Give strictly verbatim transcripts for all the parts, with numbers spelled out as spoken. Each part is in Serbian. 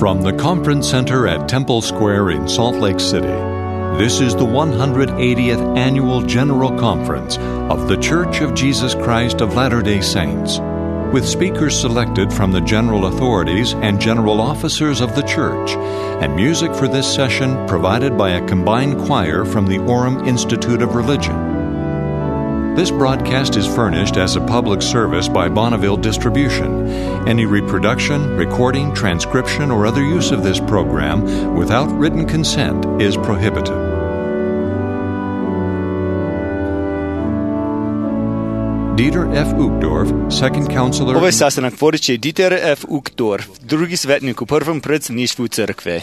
From the Conference Center at Temple Square in Salt Lake City, this is the one hundred eightieth Annual General Conference of The Church of Jesus Christ of Latter-day Saints, with speakers selected from the general authorities and general officers of the Church, and music for this session provided by a combined choir from the Orem Institute of Religion. This broadcast is furnished as a public service by Bonneville Distribution. Any reproduction, recording, transcription, or other use of this program without written consent is prohibited. Dieter F. Uchtdorf, second counselor... Ovaj sastanak vodit će Dieter F. Uchtdorf, drugi svetnik u prvom predsjedništvu crkve.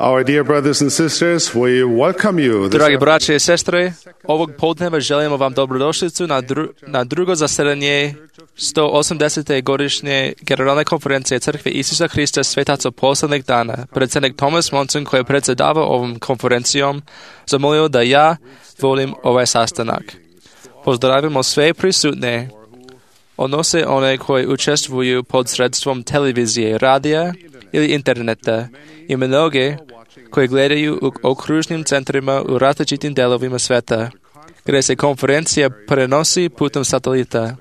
Our dear brothers and sisters, we welcome you. Dragi braće i sestre, ovog podneva želimo vam dobrodošlicu na, dru, na drugo zasedanje sto osamdesete godišnje Generalne konferencije Crkve Isusa Hrista svetaca poslednjeg dana. Predsjednik Thomas Monson, koji je predsjedavao ovom konferencijom, zamolio da ja volim ovaj sastanak. Pozdravimo sve prisutne, odnose one koji učestvuju pod sredstvom televizije, radija ili interneta i mnoge koji gledaju u okružnim centrima u različitim delovima sveta, gdje se konferencija prenosi putem satelita.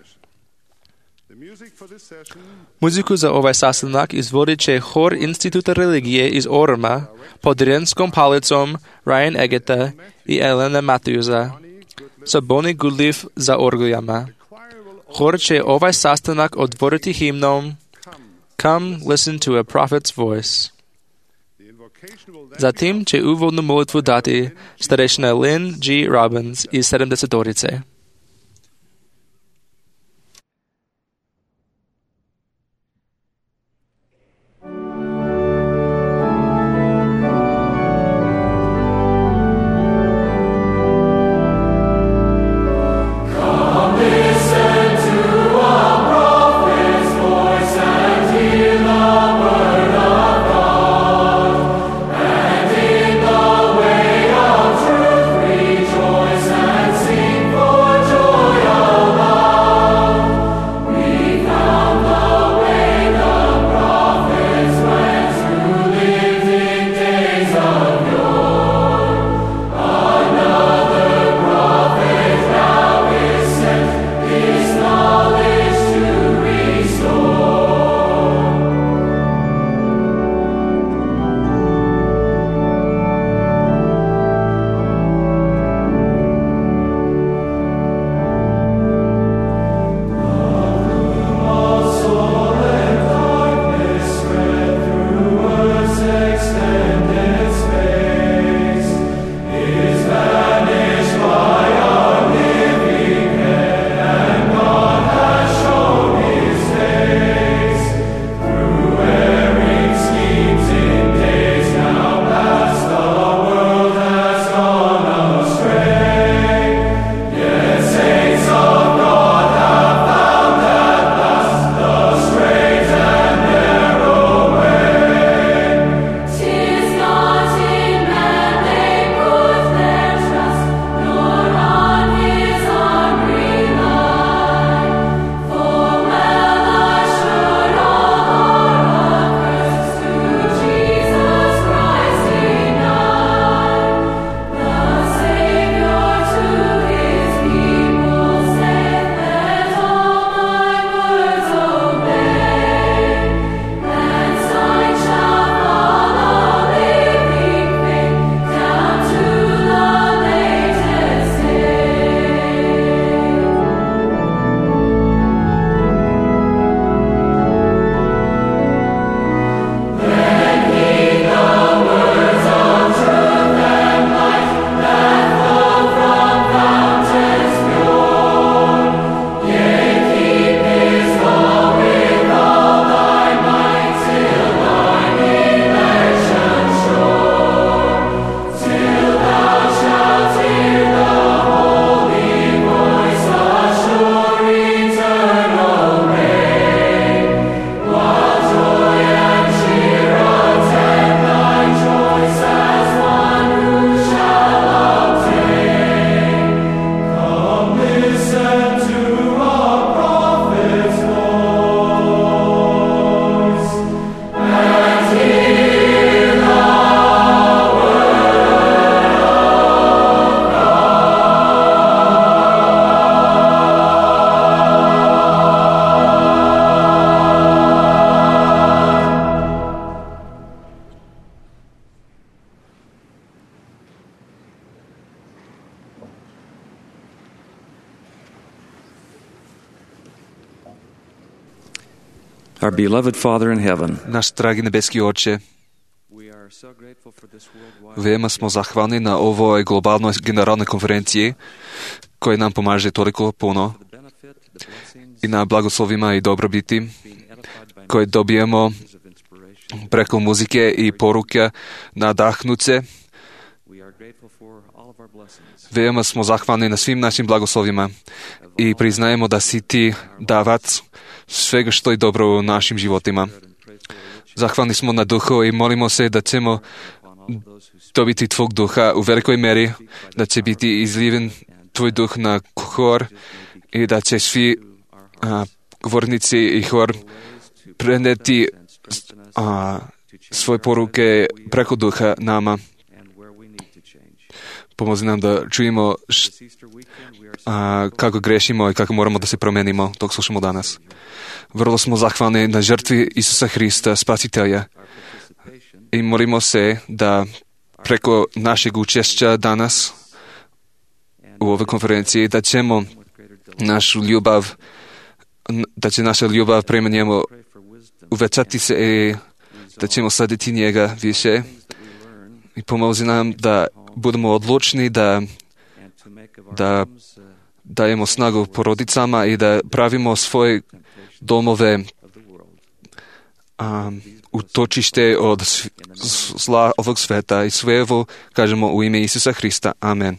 Muziku za ovaj sastanak izvodit će hor Instituta religije iz Orema pod dirigenskom palicom Ryan Egeta i Elena Matthewsa, sa Bonnie Goodleaf za orglijama. Hor će ovaj sastanak odvoriti himnom Come listen to a prophet's voice. Zatim će uvodnu molitvu dati starešina Lynn G. Robbins iz sedamdesetorice. For Our beloved Father in heaven, Náš dragi nebeski Oče, veoma smo zahvalni na ovoj globalnoj generalnoj konferenciji koja nam pomaže toliko puno i na blagoslovima i dobrobiti koje dobijemo preko muzike i poruke nadahnuće. Veoma smo zahvalni na svim našim blagoslovima i priznajemo da si ti davac svega što je dobro u našim životima. Zahvalni smo na duhu i molimo se da ćemo dobiti tvog duha u velikoj meri, da će biti izliven tvoj duh na hor i da će svi a, govornici i hor preneti a, svoje poruke preko duha nama. Pomozi nam da čujemo š, a, kako grešimo i kako moramo da se promenimo dok slušamo danas. Vrlo smo zahvalni na žrtvi Isusa Hrista, Spasitelja. I molimo se da preko našeg učešća danas u ovoj konferenciji da ćemo našu ljubav, da će naša ljubav prema njemu uvećati se i da ćemo slediti njega više. I pomozi nam da budemo odlučni da, da dajemo snagu porodicama i da pravimo svoje domove um, utočište od zla ovog sveta i sve ovo kažemo u ime Isusa Hrista. Amen.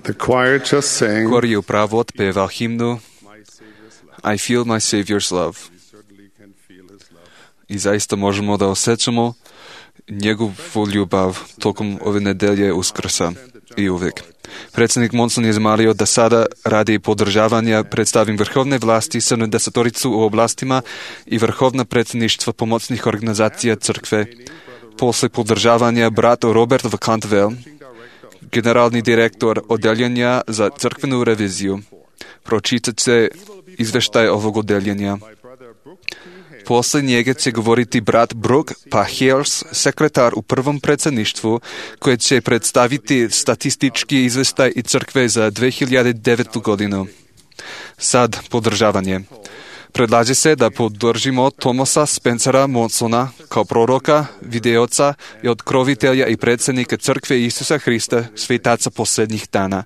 The choir just sang Хор и управо отпевал химну I feel my Savior's love. И заista можемо да осjećamo njegovu ljubav tokom ove nedelje Uskrsa i uvek. Predsjednik Monson je zamolio da sada radi podržavanja predstavim vrhovne vlasti sedamdesetoricu u oblastima i vrhovna predsjedništva pomocnih organizacija crkve. Posle podržavanja brat Robert V. Cantwell, generalni direktor odeljenja za crkvenu reviziju, pročitat će izveštaj ovog odeljenja. Posle njega će govoriti brat Brooke Pahels, sekretar u prvom predsjedništvu, koji će predstaviti statistički izveštaj i crkve za dve hiljade devetu godinu. Sad podržavanje. Predlaže se da podržimo Thomasa Spencera Monsona kao proroka, videoca i otkrovitelja i predsjednika crkve Isusa Hrista, svetaca posljednjih dana.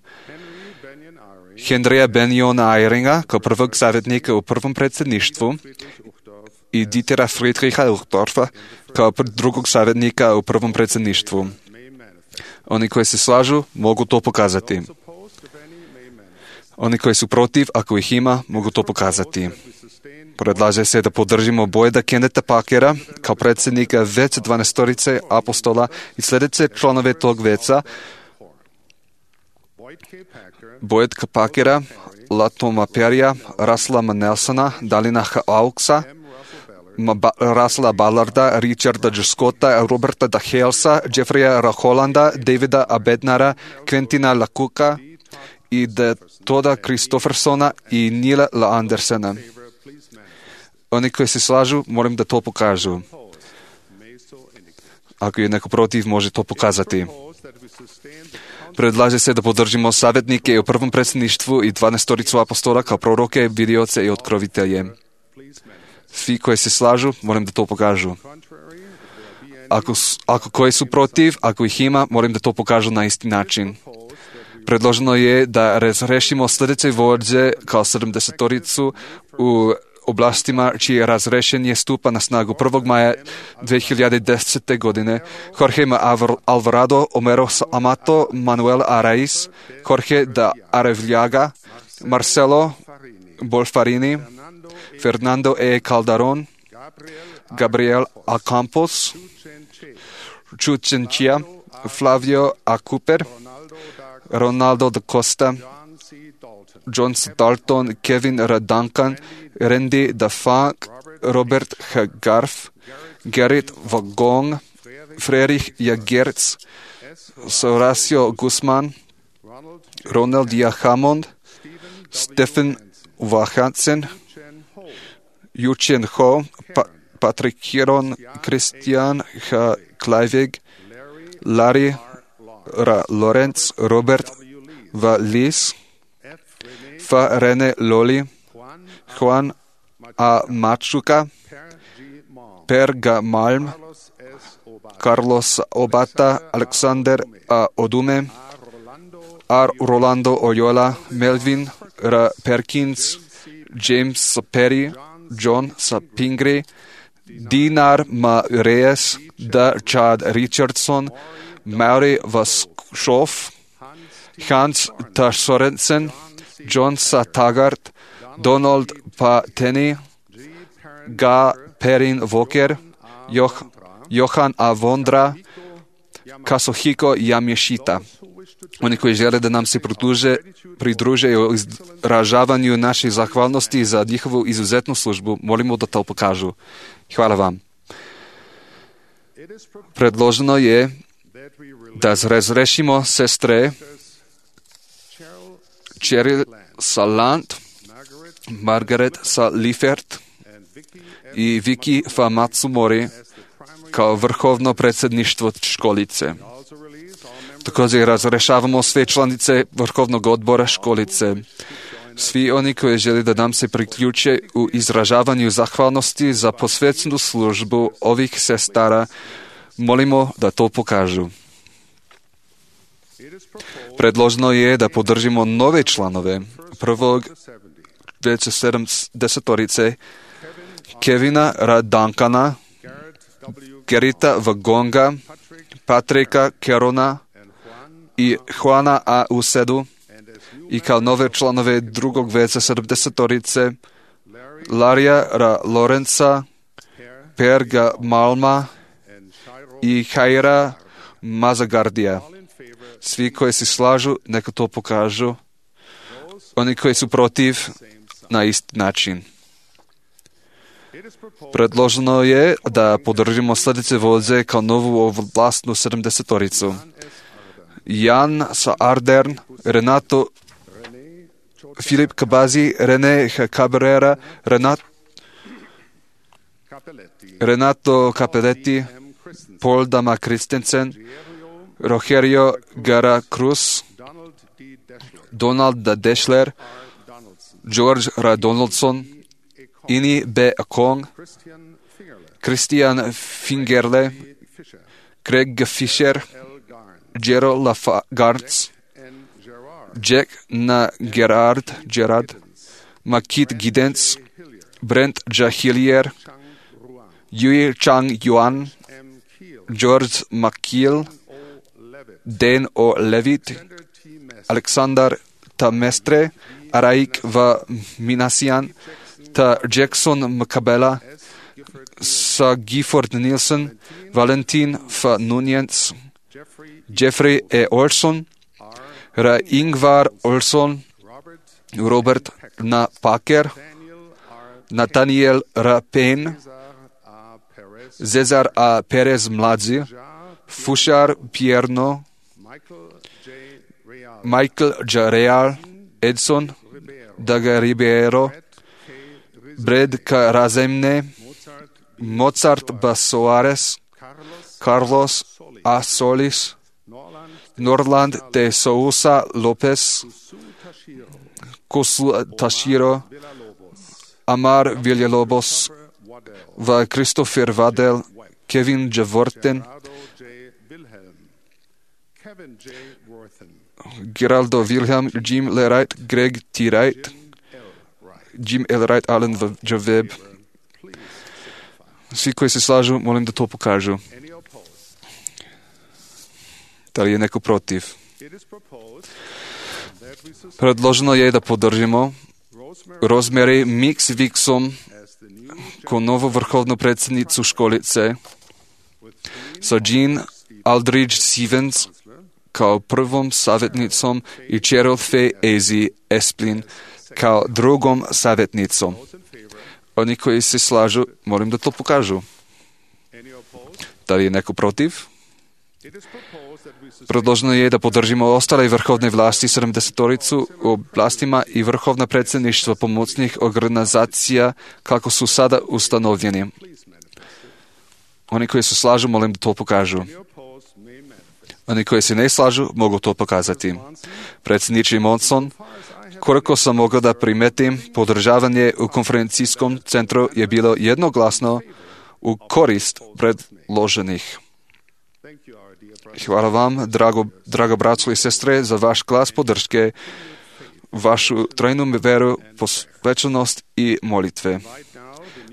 Henrya Benjona Eyringa kao prvog savjetnika u prvom predsjedništvu i Dietera Friedricha Uchtdorfa kao drugog savjetnika u prvom predsjedništvu. Oni koji se slažu mogu to pokazati. Oni koji su protiv, ako ih ima, mogu to pokazati. Predlaže se da podržimo Boyda Kenneta Packera kao predsjednika veća dvanaestorice apostola i sljedeće članove tog veća Boyd K. Packera, Latoma Perrya, Russella M. Nelsona, Dalina H. Auxa, Russella Ballarda, Richarda J. Scotta, Roberta D. Halesa, Jeffreya R. Hollanda, Davida A. Bednara, Quentina LaCooka i D. Toda Christoffersona i Nila L. Andersena. Oni koji se slažu, molim da to pokažu. Ako je neko protiv, može to pokazati. Predlaže se da podržimo savjetnike u prvom predsjedništvu i dvanaestoricu apostola kao proroke, vidioce i otkrovitelje. Svi koji se slažu, molim da to pokažu. Ako, ako koji su protiv, ako ih ima, molim da to pokažu na isti način. Predloženo je da razrešimo sljedeće vođe kao sedamdesetoricu u oblastima čije razrešenje stupa na snagu prvog maja dve hiljade desete godine. Jorge Alvarado, Homero Amato, Manuel Araiz, Jorge da Arevljaga, Marcelo Bolfarini, Fernando E. Calderon, Gabriel A. Campos, Chuchenchia, Flavio A. Cooper, Ronaldo da Costa, John C. Dalton, Kevin R. Duncan, Randy da Funk, Robert H. Garf, Gerrit Wagong, Friedrich Jagertz, Horacio Guzman, Ronald J. Hammond, Stephen Wahansen, Yuchen Ho, pa- Patrick Hiron, Christian H. Kleivig, Larry R. Lorenz, Robert V. Lis, F. René Loli, Juan A. Machuca, Per G. Malm, Carlos Obata, Alexander A. Odume, R. Rolando Oyola, Melvin R. Perkins, James Perry, John Sapingri, Dinar M. Reyes, D. Chad Richardson, Maury Vaschoff, Hans T. Sorensen, John S. Taggart, Donald P. Tenney, G. Perrin Walker, Joh- Johan A. Vondra, Kazuhiko Yamashita. Oni koji žele da nam se pridruže, pridruže u izražavanju naše zahvalnosti za njihovu izuzetnu službu, molimo da to pokažu. Hvala vam. Predloženo je da razrešimo sestre Cheryl Salant, Margaret Salifert i Vicky F. Matsumori kao vrhovno predsjedništvo školice. Također razrešavamo sve članice vrhovnog odbora školice. Svi oni koji žele da nam se priključe u izražavanju zahvalnosti za posvećenu službu ovih sestara, molimo da to pokažu. Predloženo je da podržimo nove članove prvog veće sedamdesetorice Kevina R. Duncana, Gerita Vagonga, Patrika Kerona i Juana A. Usedu i kao nove članove drugog veca sedamdesetorice, Larija Ra Lorenza, Perga Malma i Hajra Mazagardija. Svi koji se slažu, neka to pokažu. Oni koji su protiv, na isti način. Predloženo je da podržimo sljedeće vođe kao novu ovlastnu sedamdesetoricu. Jan sa Ardern, Renato, Filip Kabazi, René Cabrera, Renato, Renato Capelletti, Paul Dama Christensen, Rogerio Gara Cruz, Donald D. Deschler, George R. Donaldson, Ini B. Akong, Christian Fingerle, Craig Fisher, Jero Lagartz, Jack Na Gerard, Gerard, Makit Giddens, Brent Jahilier, Yui Chang Yuan, George McKeel, Dan O. Levitt, Alexander Tamestre, Araik V. Minasian, Ta Jackson Mcabella, Sa Gifford Nielsen, Valentin F. Nunez, Jeffrey E. Olson, Ra Ingvar Olson, Robert Na Packer, Nathaniel R. Payne, Cesar A. Perez Mladzi, Fushar Pierno, Michael J. Real, Edson Daga Ribeiro, Brad K. Razemne, Mozart B. Soares, Carlos A. Solis, Norland T. Sousa Lopez, Kosu Tashiro, Amar Villalobos, V. Christopher Waddell, Kevin J. Worten, Geraldo Wilhelm, Jim L. Wright, Greg T. Wright, Jim L. Wright, Alan J. Webb. Svi koji se slažu, molim da to pokažu. Da li je neko protiv? Predloženo je da podržimo Rosemary Mix Vixom kao novu vrhovnu predsjednicu školice, sa Jean Aldridge Stevens kao prvom savjetnicom i Cheryl Faye Ezi Esplin kao drugom savjetnicom. Oni koji se slažu, molim da to pokažu. Da li je neko protiv? Predloženo je da podržimo ostale vrhovne vlasti sedamdesetoricu u oblastima i vrhovna predsjedništva pomocnih organizacija kako su sada ustanovljeni. Oni koji se slažu, molim da to pokažu. Oni koji se ne slažu, mogu to pokazati. Predsjedniče Monson, koliko sam mogao da primetim, podržavanje u konferencijskom centru je bilo jednoglasno u korist predloženih. Hvala vam, drago, drago braćo i sestre, za vaš glas podrške, vašu trajnu veru, posvećenost i molitve.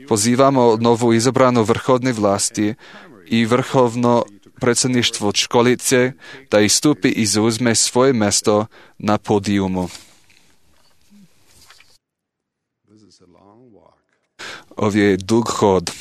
Pozivamo novu izabranu vrhovne vlasti i vrhovno predsjedništvo školice da istupi i zauzme svoje mjesto na podijumu. Ovo je dug hod.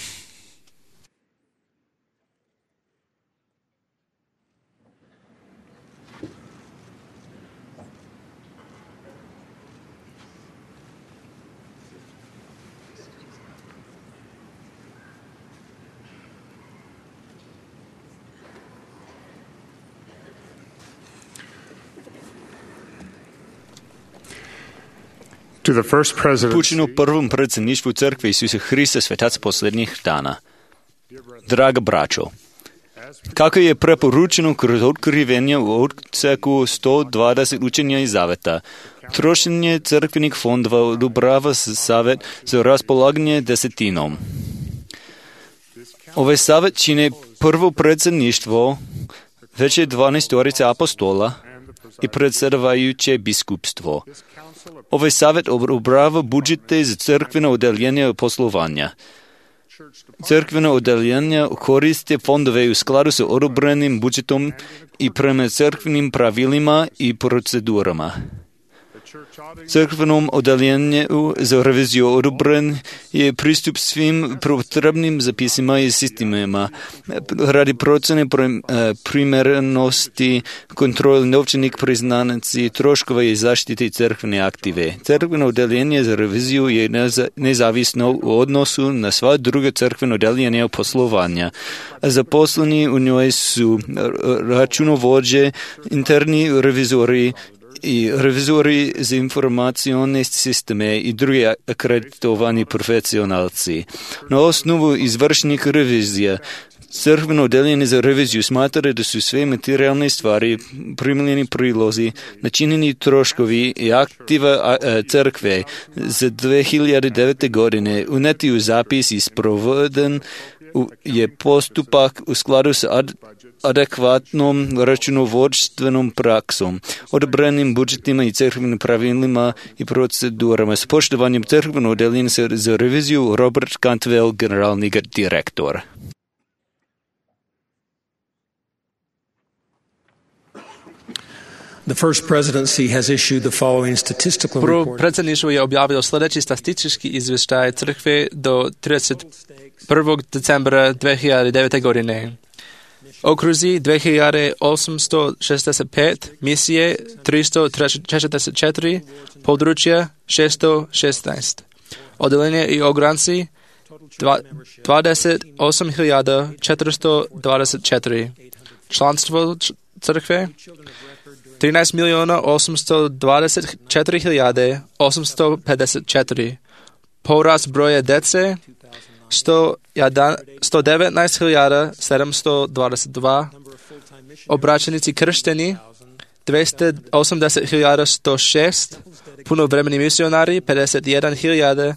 To the first president, Pučinu prvom predsjedništvu Crkve Isusa Hrista svetaca posljednjih dana. Draga braćo, kako je preporučeno kroz otkrivenje u odseku sto dvadeset učenja i zaveta, trošenje crkvenih fondova odobrava savjet za raspolaganje desetinom. Ovaj savjet čine prvo predsjedništvo veće dvanaestorice apostola i predsjedavajuće biskupstvo. Ovaj savjet odobrava budžete za crkveno odeljenje poslovanja. Crkveno odeljenje koriste fondove u skladu sa odobrenim budžetom i prema crkvenim pravilima i procedurama. Crkvenom oddeljenju za reviziju odobren je pristup svim potrebnim zapisima i sistemima radi procjene primjerenosti, kontrole novčanih priznanici, troškova i zaštite crkvene aktive. Crkveno oddeljenje za reviziju je nezavisno u odnosu na sva druga crkvena oddeljenja poslovanja. Zaposleni u njoj su računovođe, interni revizori i revizori za informacione sisteme i drugi akreditovani profesionalci. Na osnovu izvršnih revizija crkveno oddeljenje za reviziju smatra da su sve materijalne stvari, primljeni prilozi, načinjeni troškovi i aktiva crkve za dve hiljade devete. godine uneti u zapis i sproveden je postupak u skladu s ad, adekvatnom računovodstvenom praksom, odobrenim budžetima i crkvenim pravilima i procedurama. S poštovanjem crkvenog oddeljenja za reviziju Robert Cantwell, generalni direktor. The first presidency has issued the following statistical Prvo report. predsjedništvo je objavilo sljedeći statistički izvještaj crkve do trideset prvog decembra dve hiljade devete. godine. Okruzi dve hiljade osamsto šezdeset pet, misije tristo četrdeset četiri, područja šesto šesnaest. Oddeljenje i ogranci dvadeset osam hiljada četiristo dvadeset četiri. Članstvo crkve trinaest milijuna osamsto dvadeset četiri hiljade osamsto pedeset četiri. Porast broja djece sto devetnaest hiljada sedamsto dvadeset dva. Obraćenici kršteni dvjesto osamdeset hiljada sto šest. Punovremeni misionari pedeset jedan hiljada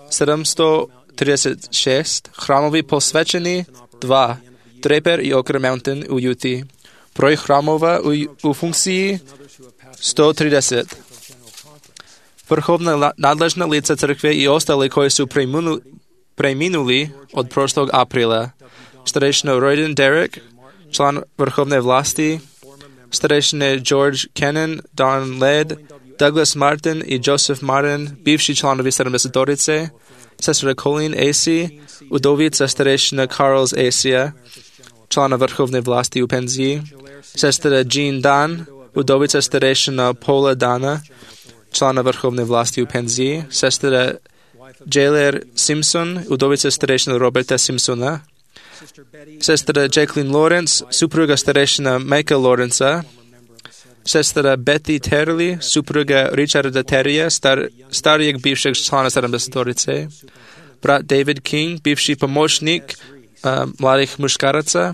sedamsto trideset šest. Hramovi posvećeni dva. Draper i Ocker Mountain u Utah. Broj hramova u, u funkciji sto trideset. Vrhovna nadležna lica crkve i ostale koji su preminuli, preminuli od prošlog aprila. Starešina Royden Derek, član vrhovne vlasti, starešine George Kennan, Don Led, Douglas Martin i Joseph Martin, bivši članovi sedamdesetorice, sestra Colleen Acey, udovica starešina Charles Acey, člana vrhovne vlasti u penziji, sestra Jean Dan, udovica starešina Paula Dana, člana vrhovne vlasti u penziji, sestra Jailer Simpson, udovica starešina Roberta Simpsona, sestra Jacqueline Lawrence, supruga starešina Michael Lawrencea, sestra Betty Terley, supruga Richarda Terrya, star, starijeg bivšeg člana sedamdesetorice, brat David King, bivši pomoćnik uh, mladih muškaraca,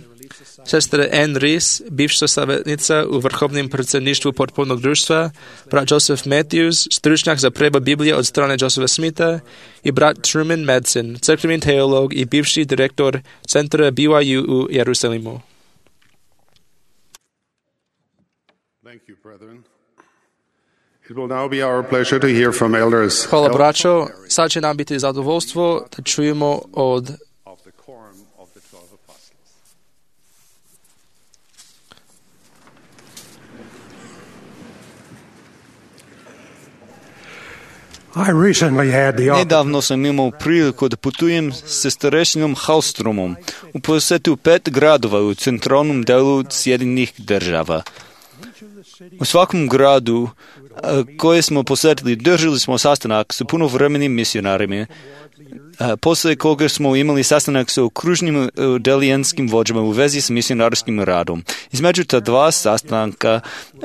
sestra Anne Rees, bivša savjetnica u vrhovnom predsjedništvu potpornog društva, brat Joseph Matthews, stručnjak za prebod Biblije od strane Josepha Smitha i brat Truman Madsen, crkveni teolog i bivši direktor centra B Y U u Jerusalimu. Thank you, brethren. It will now be our pleasure to hear from elders. Hvala braćo, sad će nam biti zadovoljstvo da čujemo od Of the quorum of the twelve apostles. I recently had the Nedavno sam imao priliku da putujem sa starešinom Hallstromom u posetu pet gradova u centralnom delu Sjedinjenih država. U svakom gradu koje smo posjetili držali smo sastanak sa punovremenim misionarima, posle koga smo imali sastanak sa okružnim delijanskim vođama u vezi s misionarskim radom. Između ta dva sastanka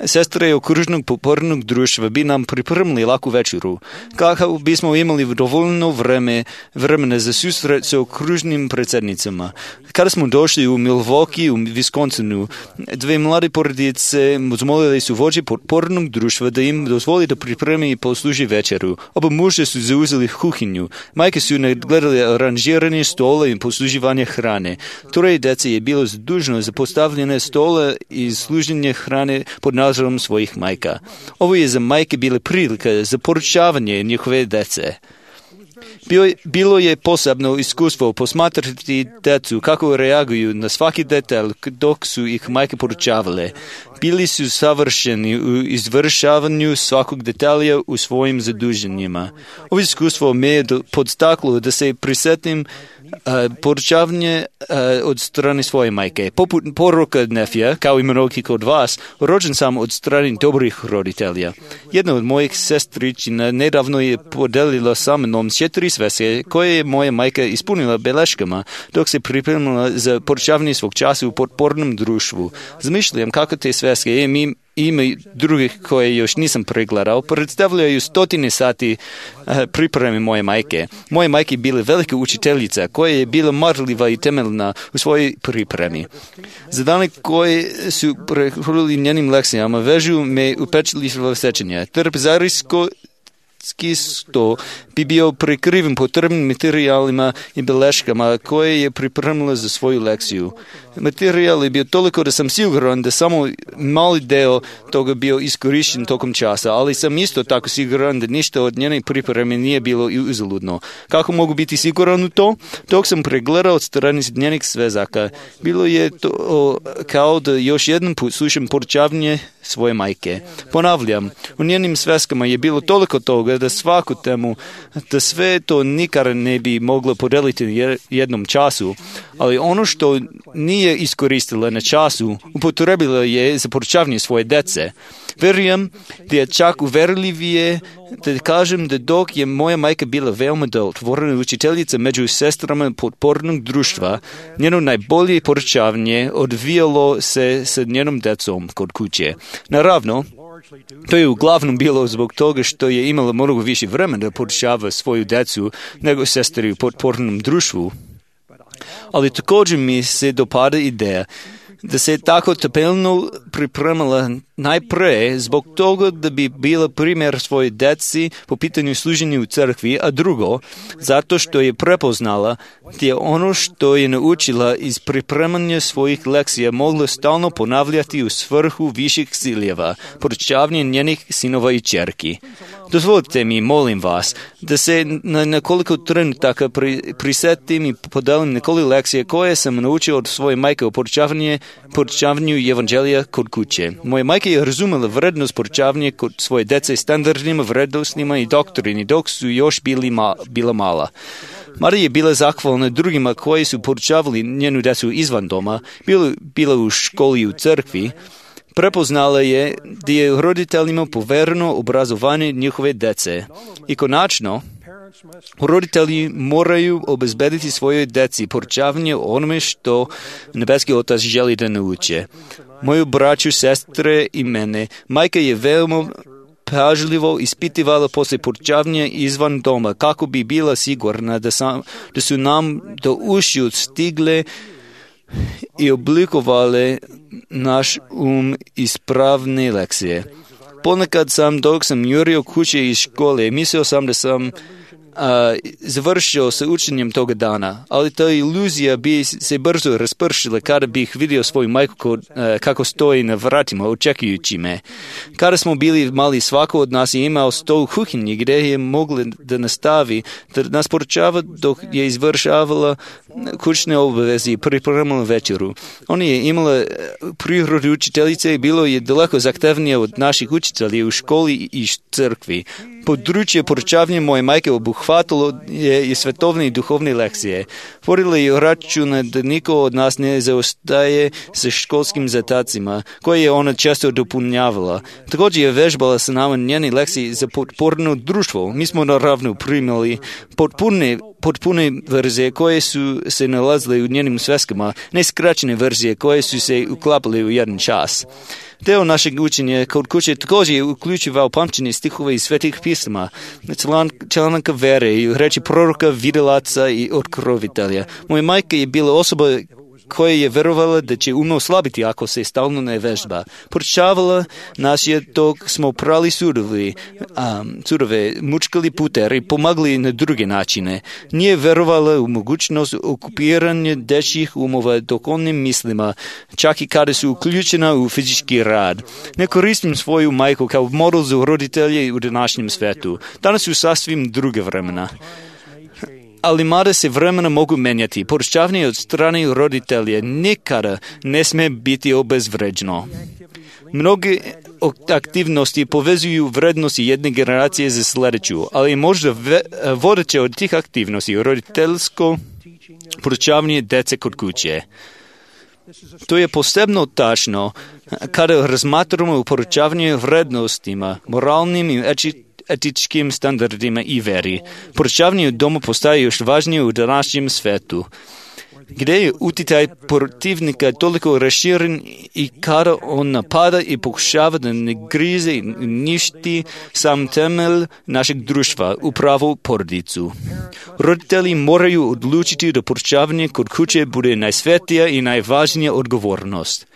sestre okružnog popornog društva bi nam pripremili laku večeru, kako bismo imali dovoljno vreme, vremena za susret sa okružnim predsjednicama. Kada smo došli u Milwaukee, u Wisconsinu, dve mlade porodice zamolili su vođe popornog društva da im dozvoli da pripremi i posluži večeru. Oba muže su zauzeli kuhinju. Majke su gledali aranžiranje stola i posluživanje hrane. Troje djece je bilo zaduženo za postavljene stola i služenje hrane pod nadzorom svojih majka. Ovo je za majke bila prilika za poručavanje njihove djece. Bilo je posebno iskustvo posmatrati djecu kako reaguju na svaki detalj dok su ih majke poručavale. Bili su savršeni u izvršavanju svakog detalja u svojim zaduženjima. Ovo iskustvo me je podstaklo da se prisjetim Uh, poručavanje uh, od strane svoje majke. Poput poruka Nefija, kao i mnogi kod vas, rođen sam od strane dobrih roditelja. Jedna od mojih sestričina nedavno je podelila sa mnom četiri sveske koje je moja majka ispunila beleškama dok se pripremila za poručavanje svog časa u potpornom društvu. Zamišljam kako te sveske im ima drugih koje još nisam pregledao, predstavljaju stotine sati uh, pripreme moje majke. Moje majke je bila velika učiteljica koja je bila marljiva i temeljna u svojoj pripremi. Za dane koje su prehodili njenim lekcijama vežu me upečljivo sećanja. Trpezarsko sto bi bio prekriven potrebnim materijalima i beleškama koje je pripremila za svoju lekciju. Materijal je bio toliko da sam siguran da samo mali deo toga bio iskorišten tokom časa, ali sam isto tako siguran da ništa od njene pripreme nije bilo uzaludno. Kako mogu biti siguran u to? Dok sam pregledao od strane njenih svezaka, bilo je to kao da još jedan put slušam poručavanje svoje majke. Ponavljam, u njenim sveskama je bilo toliko toga da svaku temu, da sve to nikad ne bi moglo podeliti u jednom času, ali ono što nije iskoristila na času, upotrebila je za poručavanje svoje dece. Verujem da je čak uverljivije da kažem da dok je moja majka bila veoma otvorena učiteljica među sestrama potpornog društva, njeno najbolje poručavanje odvijalo se sa njenom decom kod kuće. Naravno, to je uglavnom bilo zbog toga što je imala mnogo više vremena da poručava svoju decu nego sestri u potpornom društvu. Ali također mi se dopada ideja da se tako temeljno pripremala najpre zbog toga da bi bila primjer svoje deci po pitanju služenja u crkvi, a drugo, zato što je prepoznala da je ono što je naučila iz pripremanja svojih lekcija mogla stalno ponavljati u svrhu viših ciljeva, poručavanje njenih sinova i ćerki. Dozvolite mi, molim vas, da se na nekoliko trenutaka pri, prisetim i podelim nekoliko lekcije koje sam naučio od svoje majke o poručavanju, poručavanju evanđelija kod kuće. Moja majka je razumela vrednost poručavanja kod svoje dece standardnima, vrednostima i doktrini dok su još bili ma, bila mala. Marija je bila zahvalna drugima koji su poručavali njenu decu izvan doma, bila, bila u školi i u crkvi. Prepoznala je da je roditeljima povereno obrazovanje njihove dece. I konačno, roditelji moraju obezbediti svojoj deci poručavanje o onome što nebeski Otac želi da nauče. Moju braću, sestre i mene, majka je veoma pažljivo ispitivala poslije poručavanja izvan doma kako bi bila sigurna da, sam, da su nam do ušiju stigle i oblikovale naš um ispravne lekcije. Ponekad sam, dok sam jurio kuće iz škole, mislio sam da sam a, završio sa učenjem toga dana, ali ta iluzija bi se brzo raspršila kada bih vidio svoju majku kod, a, kako stoji na vratima očekujući me. Kada smo bili mali, svako od nas je imao stol u kuhinji gdje je mogla da nastavi, da nas poručava dok je izvršavala kućne obaveze i pripremala večeru. Ona je imala prirodu učiteljice i bilo je daleko zahtevnije od naših učitelja u školi i crkvi. Područje poručavanja moje majke obuhvatilo je i svetovne i duhovne lekcije. Vodila je računa da niko od nas ne zaostaje sa školskim zadacima, koje je ona često dopunjavala. Također je vežbala sa nama njene lekcije za potporno društvo. Mi smo naravno primali potpune potpune verzije koje su se nalazile u njenim sveskama, ne skraćene verzije koje su se uklapale u jedan čas. Deo našeg učenja kod kuće također je uključivao pamćenje stihova iz svetih pisama, članaka vere i reči proroka, videlaca i otkrovitelja. Moja majka je bila osoba koja je verovala da će um oslabiti ako se stalno ne vežba. Poručavala nas je dok smo prali sudovi, um, sudove, mučkali puter i pomagli na druge načine. Nije verovala u mogućnost okupiranja dečjih umova dokonim mislima, čak i kada su uključena u fizički rad. Ne koristim svoju majku kao model za roditelje u današnjem svetu. Danas su sasvim druge vremena. ali mada se vremena mogu menjati, poručavanje od strane roditelja nikada ne sme biti obezvređeno. Mnoge aktivnosti povezuju vrednosti jedne generacije za sljedeću, ali možda ve, vodeće od tih aktivnosti roditeljsko poručavanje dece kod kuće. To je posebno tačno kada razmatramo u poručavanju vrednostima, moralnim i etičkim standardima i veri. Poručavanje u domu postaje još važnije u današnjem svetu, gdje je utjecaj protivnika toliko raširen i kada on napada i pokušava da ne grize i ništi sam temelj našeg društva, upravo porodicu. Roditelji moraju odlučiti da poručavanje kod kuće bude najsvetija i najvažnija odgovornost.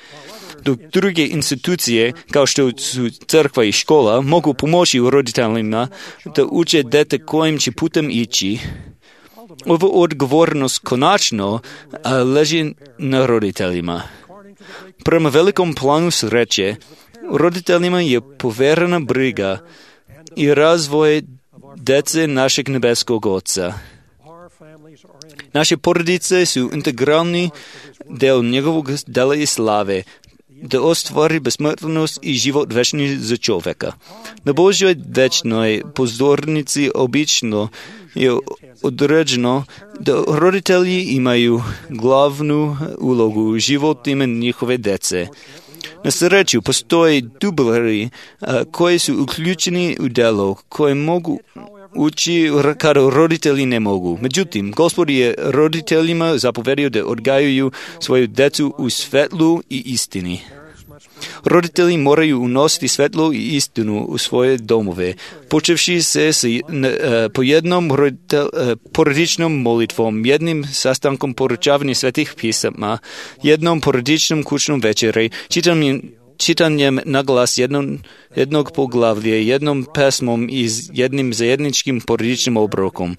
Dok druge institucije, kao što su crkva i škola, mogu pomoći roditeljima da uče dete kojim će putem ići, ova odgovornost konačno leži na roditeljima. Prema velikom planu sreće, roditeljima je poverena briga i razvoj dece našeg nebeskog Oca. Naše porodice su integralni del njegovog dela i slave, da ostvari besmrtnost i život večni za čovjeka. Na Božjoj večnoj pozornici obično je određeno da roditelji imaju glavnu ulogu u životima njihove dece. Na sreću postoje dubleri koji su uključeni u delo, koje mogu ući kada roditelji ne mogu. Međutim, Gospod je roditeljima zapovedio da odgajaju svoju djecu u svetlu i istini. Roditelji moraju unositi svetlo i istinu u svoje domove, počevši se s, ne, po jednom roditelj, porodičnom molitvom, jednim sastankom poručavanja svetih pisama, jednom porodičnom kućnom večeri, čitanjem, čitanjem na glas jednom, jednog poglavlja, jednom pesmom i jednim zajedničkim porodičnim obrokom.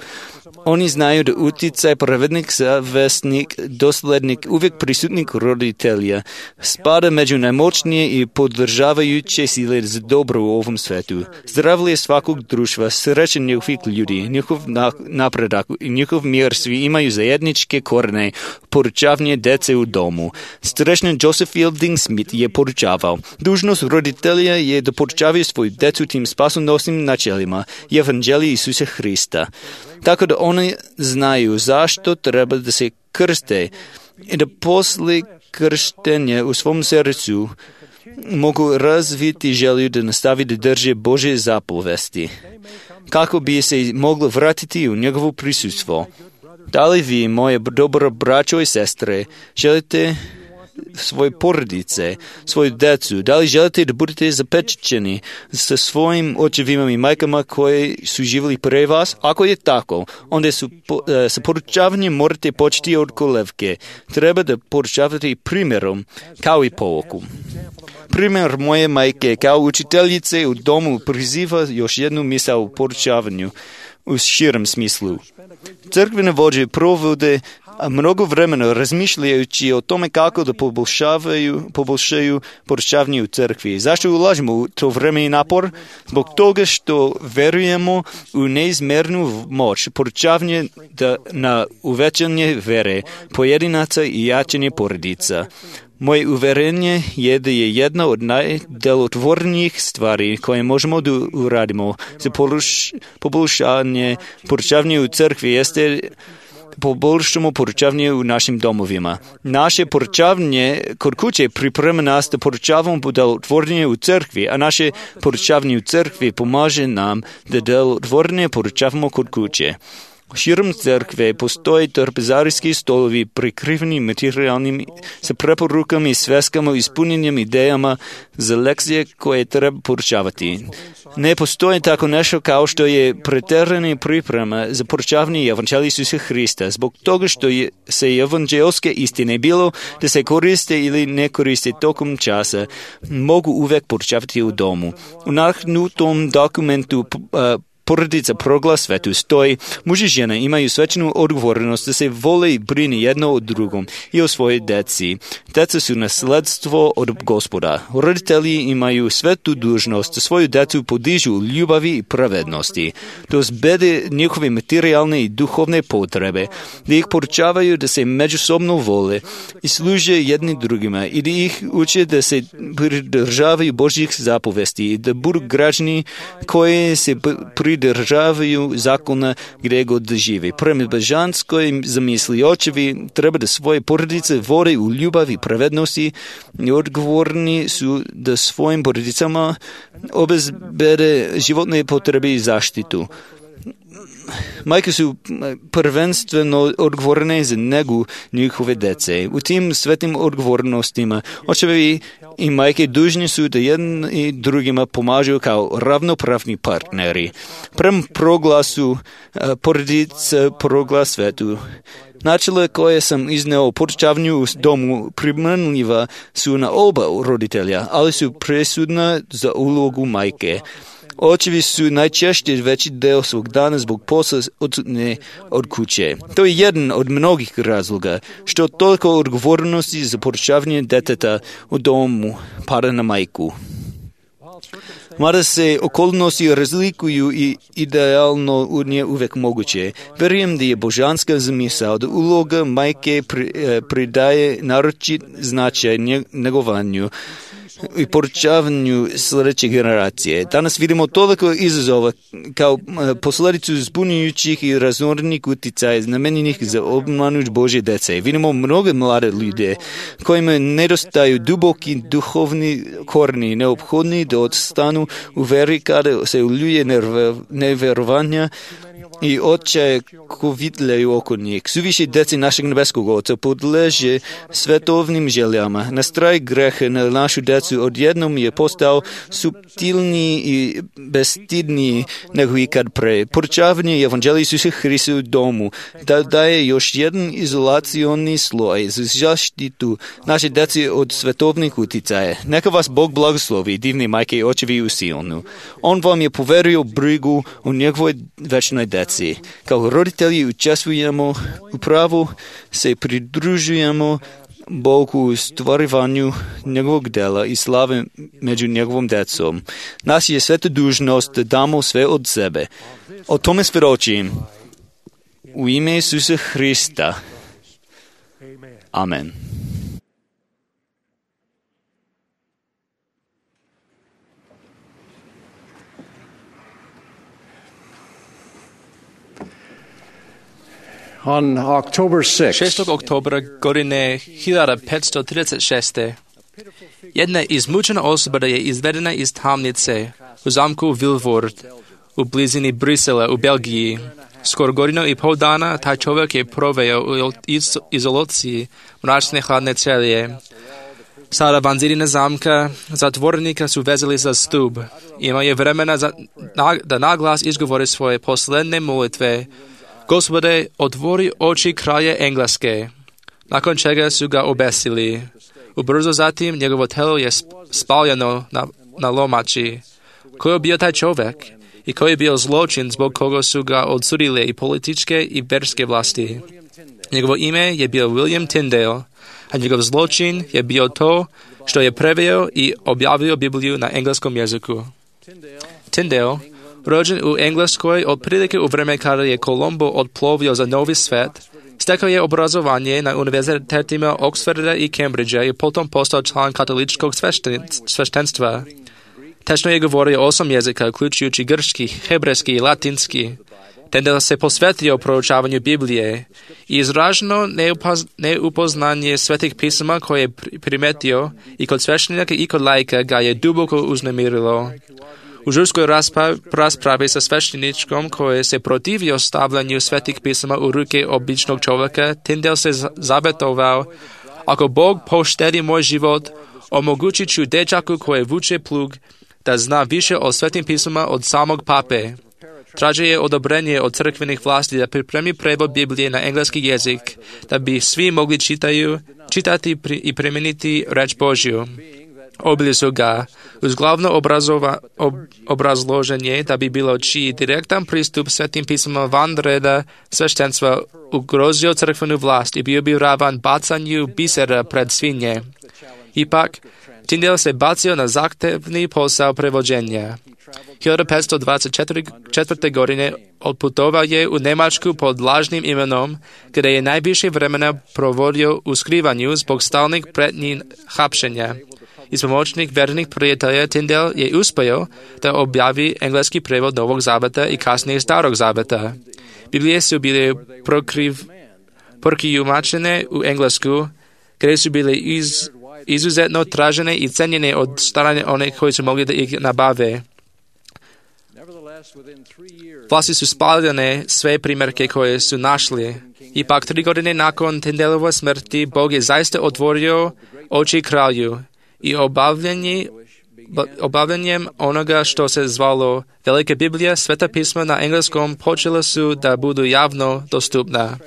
Oni znaju da utjecaj pravednik, zavesnik, doslednik, uvijek prisutnik roditelja spada među najmoćnije i podržavajuće sile za dobro u ovom svetu. Zdravlje svakog društva, sreća njihovih ljudi, njihov napredak i njihov mir svi imaju zajedničke korene, poručavanje dece u domu. Strešni Joseph Fielding Smith je poručavao: dužnost roditelja je da poručavaju svoju decu tim spasonosnim načelima i evanđelji Isusa Hrista, tako da oni znaju zašto treba da se krste i da posle krštenja u svom srcu mogu razviti želju da nastavi da drže Božje zapovesti, kako bi se moglo vratiti u njegovo prisustvo. Da li vi, moje dobro braćo i sestre, želite svoje porodice, svoju decu, da li želite da budete zapečećeni sa svojim očevima i majkama koji su živjeli pre vas? Ako je tako, onda su, po, sa poručavanjem morate početi od kolevke. Treba da poručavate primjerom, kao i pouku. Primjer moje majke kao učiteljice u domu priziva još jednu misao u poručavanju u širem smislu. Crkvene vođe provode mnogo vremena razmišljajući o tome kako da poboljšavaju, poboljšaju poručavanje u crkvi. Zašto ulažemo u to vreme i napor? Zbog toga što verujemo u neizmernu moć poručavanje da na uvećanje vere pojedinaca i jačanje porodica. Moje uverenje je da je jedna od najdelotvornijih stvari koje možemo da uradimo za poboljšanje poručavanja u crkvi jeste poboljšamo poručavanje u našim domovima. Naše poručavanje kod kuće priprema nas da poručavamo delotvornije u crkvi, a naše poručavanje u crkvi pomaže nam da delotvornije poručavamo kod kuće. Širom crkve postoje trpezarijski stolovi prikriveni materijalnim sa preporukama i sveskama ispunjenjem idejama za lekcije koje treba poručavati. Ne postoji tako nešto kao što je preterana priprema za poručavanje evanđelja Isusa Hrista, zbog toga što je, se evanđelske istine bilo da se koriste ili ne koriste tokom časa, mogu uvek poručavati u domu. U nahnutom dokumentu uh, porodica progla svetu stoji, muži i žene imaju svečanu odgovornost da se vole i brine jedno o drugom i o svojoj deci. Deca su nasledstvo od Gospoda. Roditelji imaju svetu dužnost da svoju decu podižu u ljubavi i pravednosti, da uzbede njihove materijalne i duhovne potrebe, da ih poručavaju da se međusobno vole i služe jedni drugima i da ih uče da se pridržavaju Božjih zapovesti i da budu građani koji se pridržavaju zakona gdje god žive. Prema božanskoj zamisli očevi treba da svoje porodice vode u ljubavi i pravednosti i odgovorni su da svojim porodicama obezbede životne potrebe i zaštitu. Majke su prvenstveno odgovorne za negu njihove dece. U tim svetim odgovornostima očevi i majke dužni su da jedni drugima pomažu kao ravnopravni partneri. Prema proglasu porodica proglas svetu. Načela koje sam izneo o podučavanju u domu primjenljiva su na oba roditelja, ali su presudna za ulogu majke. Očevi su najčešće veći deo svog dana zbog posla odsutne od kuće. To je jedan od mnogih razloga što toliko odgovornosti za podučavanje deteta u domu pada na majku. Mada se okolnosti razlikuju i idealno nije uvijek moguće. Vjerujem da je božanska zamisao da uloga majke pridaje naročit značaj negovanju i poručavanju sljedeće generacije. Danas vidimo toliko izazova kao posljedicu zbunjujućih i raznorodnih utjecaja namenjenih za obmanu Božje dece. Vidimo mnoge mlade ljude kojima nedostaju duboki duhovni koreni neophodni da odstanu u veri kada se uljuje nevjerovanja i očaje kovitljaju oko njih. Suviše deci našeg nebeskog Oca podleže svetovnim željama. Nastraj greha na našu decu odjednom je postao suptilniji i bestidniji nego ikad pre. Poručavanje evanđelja Isusa Hrista u domu da daje još jedan izolacioni sloj za zaštitu naše deci od svetovnih utjecaja. Neka vas Bog blagoslovi, divni majke i očevi u Sionu. On vam je poverio brigu o njegovoj večnoj deci. Kao roditelji učestvujemo u pravu, se pridružujemo Bogu u stvarivanju njegovog dela i slave među njegovom decom. Nas je sveta dužnost da damo sve od sebe. O tome svjedočim. U ime Isusa Hrista. Amen. On October sixth, šestog oktobra godine hiljadu petsto trideset šest. jedna izmučena osoba je izvedena iz tamnice u zamku Vilvoord u blizini Brisela u Belgiji. Skoro godinu i pol dana taj čovjek je proveo u izolaciji mračne hladne celije. Sada van zidina zamka zatvorenika su vezali za stup. Imao je vremena za, na, da naglas izgovori svoje posljednje molitve. Gospode, otvori oči kralja Engleske. Nakon čega su ga obesili. Ubrzo zatim njegovo telo je spaljeno na, na lomači. Ko je bio taj čovjek? I koji je bio zločin zbog koga su ga odsudile i političke i verske vlasti? Njegovo ime je bio William Tyndale, a njegov zločin je bio to što je preveo i objavio Bibliju na engleskom jeziku. Tyndale, rođen u Engleskoj otprilike u vreme kada je Kolumbo odplovio za Novi svet, stekao je obrazovanje na univerzitetima Oxforda i Cambridgea i potom postao član katoličkog sveštenstva. Tečno je govorio osam jezika, uključujući grčki, hebrejski i latinski. Tyndale se posvetio proučavanju Biblije i izraženo neupaz, neupoznanje svetih pisama koje je primetio i kod sveštenika i kod laika ga je duboko uznemirilo. U žurskoj raspravi sa svešteničkom koji se protivio stavljanju svetih pisama u ruke običnog čovjeka, Tyndale se zabetovao: ako Bog poštedi moj život, omogućit ću dečaku koje vuče plug da zna više o svetim pisama od samog pape. Tražio je odobrenje od crkvenih vlasti da pripremi prevod Biblije na engleski jezik, da bi svi mogli čitaju, čitati i primijeniti reč Božju. Oblizu ga uz glavno obrazova, ob, obrazloženje da bi bilo čiji direktan pristup svetim pismama van reda sveštenstva ugrozio crkvenu vlast i bio bi ravan bacanju bisera pred svinje. Ipak, Tyndale se bacio na zahtevni posao prevođenja. hiljadu petsto dvadeset četvrte. godine odputovao je u Njemačku pod lažnim imenom, gdje je najviše vremena provodio u skrivanju zbog stalnih pretnji hapšenja. Iz pomoćnih vernih prijatelja Tyndale je uspio da objavi engleski prevod Novog zaveta i kasnije Starog zaveta. Biblije su bile prokriv, prokrijumačene u englesku, gdje su bile iz, izuzetno tražene i cenjene od strane onih koji su mogli da ih nabave. Vlasti su spaljene sve primjerke koje su našli. Ipak tri godine nakon Tyndaleove smrti Bog je zaista otvorio oči kralju i obavljanje, obavljanjem onoga što se zvalo Velika Biblija, Sveta pisma na engleskom počela su da budu javno dostupna.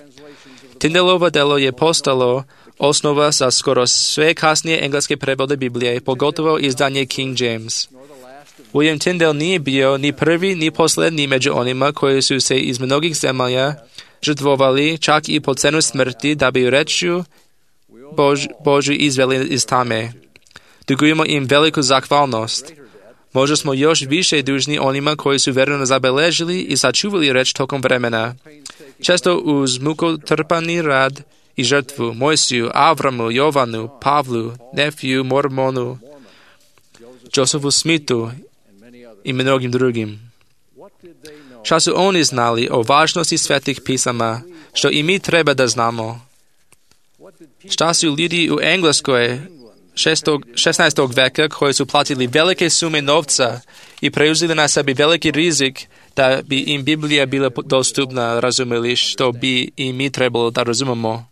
Tyndaleovo delo je postalo osnova za skoro sve kasnije engleske prevode Biblije, pogotovo izdanje King James. William Tyndale nije bio ni prvi ni posljednji među onima koji su se iz mnogih zemalja žrtvovali čak i po cenu smrti da bi rečju Bož, Božju izveli iz tame. Dugujemo im veliku zahvalnost. Možda smo još više dužni onima koji su verno zabeležili i sačuvali reč tokom vremena. Često uz mukotrpani rad i žrtvu Mojsiju, Avramu, Jovanu, Pavlu, Nefiju, Mormonu, Josephu Smithu i mnogim drugim. Šta su oni znali o važnosti svetih pisama, što i mi treba da znamo? Šta su ljudi u Engleskoj šesnaestog veka koji su platili velike sume novca i preuzeli na sebi veliki rizik da bi im Biblija bila dostupna, razumeli, što bi i mi trebalo da razumemo.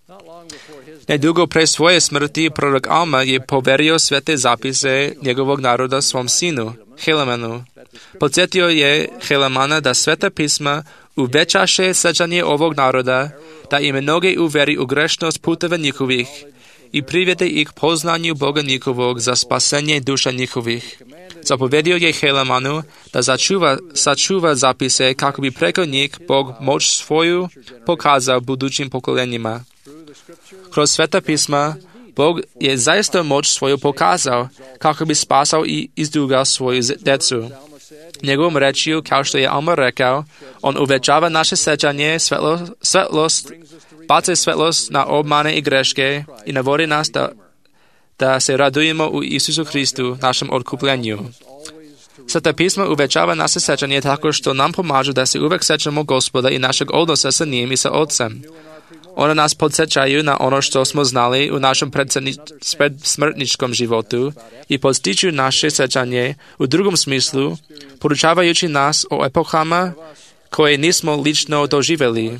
Nedugo pre svoje smrti prorok Alma je poverio svete zapise njegovog naroda svom sinu, Helemanu. Podsjetio je Helemana da sveta pisma uvećaše sećanje ovog naroda, da im mnoge uveri u grešnost puteva njihovih i privede ih poznanju Boga njihovog za spasenje duša njihovih. Zapovedio je Helemanu da začuva, sačuva zapise kako bi preko njih Bog moć svoju pokazao budućim pokolenjima. Kroz sveta pisma Bog je zaista moć svoju pokazao kako bi spasao i izdugao svoju decu. Njegovom rečju, kao što je Alma rekao, on uvećava naše sećanje, svetlo, svetlost, baca svetlost na obmane i greške i navodi nas da, da se radujemo u Isusu Hristu, našem otkupljenju. Sveta pisma uvećava naše sećanje tako što nam pomažu da se uvek sećamo Gospoda i našeg odnosa sa njim i sa Otcem. Ona nas podsjećaju na ono što smo znali u našem predsmrtničkom životu i podstiču naše sećanje u drugom smislu, poručavajući nas o epohama koje nismo lično doživjeli.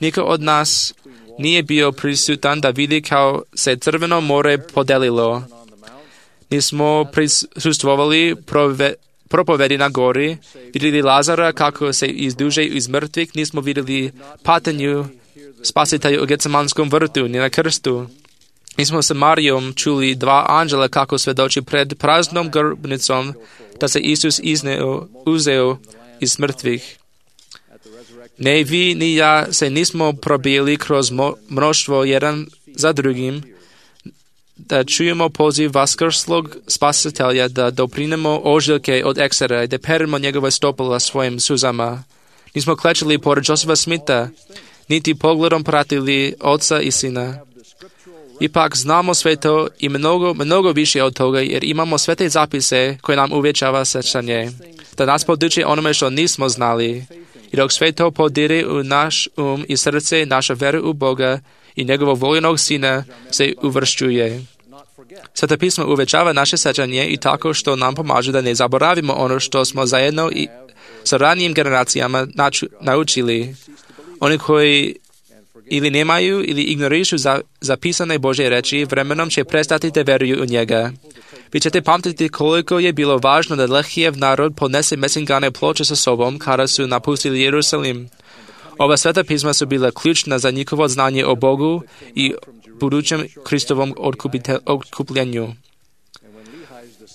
Niko od nas nije bio prisutan da vidi kao se Crveno more podelilo. Nismo prisustvovali prove, propovedi na gori, vidjeli Lazara kako se izduže iz mrtvih, nismo vidjeli patenju Spasitelju u Getsemanskom vrtu, ni na krstu. Mi smo sa Marijom čuli dva anđela kako svedoči pred praznom grobnicom da se Isus izneo, uzeo iz mrtvih. Ne vi ni ja se nismo probili kroz mnoštvo jedan za drugim, da čujemo poziv vaskrslog Spasitelja da doprinemo ožiljke od eksera i da perimo njegove stopala svojim suzama. Nismo klečili pored Josepha Smitha, niti pogledom pratili Oca i Sina. Ipak znamo sve to i mnogo, mnogo više od toga, jer imamo sve te zapise koje nam uvećava sećanje, da nas poduče onome što nismo znali. I dok sve to podire u naš um i srce, naša vera u Boga i njegovog voljenog Sina se uvršćuje. Sveta pisma uvećava naše sećanje i tako što nam pomaže da ne zaboravimo ono što smo zajedno i sa ranijim generacijama naču, naučili. Oni koji ili nemaju ili ignorišu za, zapisane Božje reči, vremenom će prestati da veruju u njega. Vi ćete pamtiti koliko je bilo važno da Lehijev narod ponese mesingane ploče sa sobom kada su napustili Jerusalim. Ova sveta pisma su bila ključna za njihovo znanje o Bogu i budućem Kristovom otkupljenju.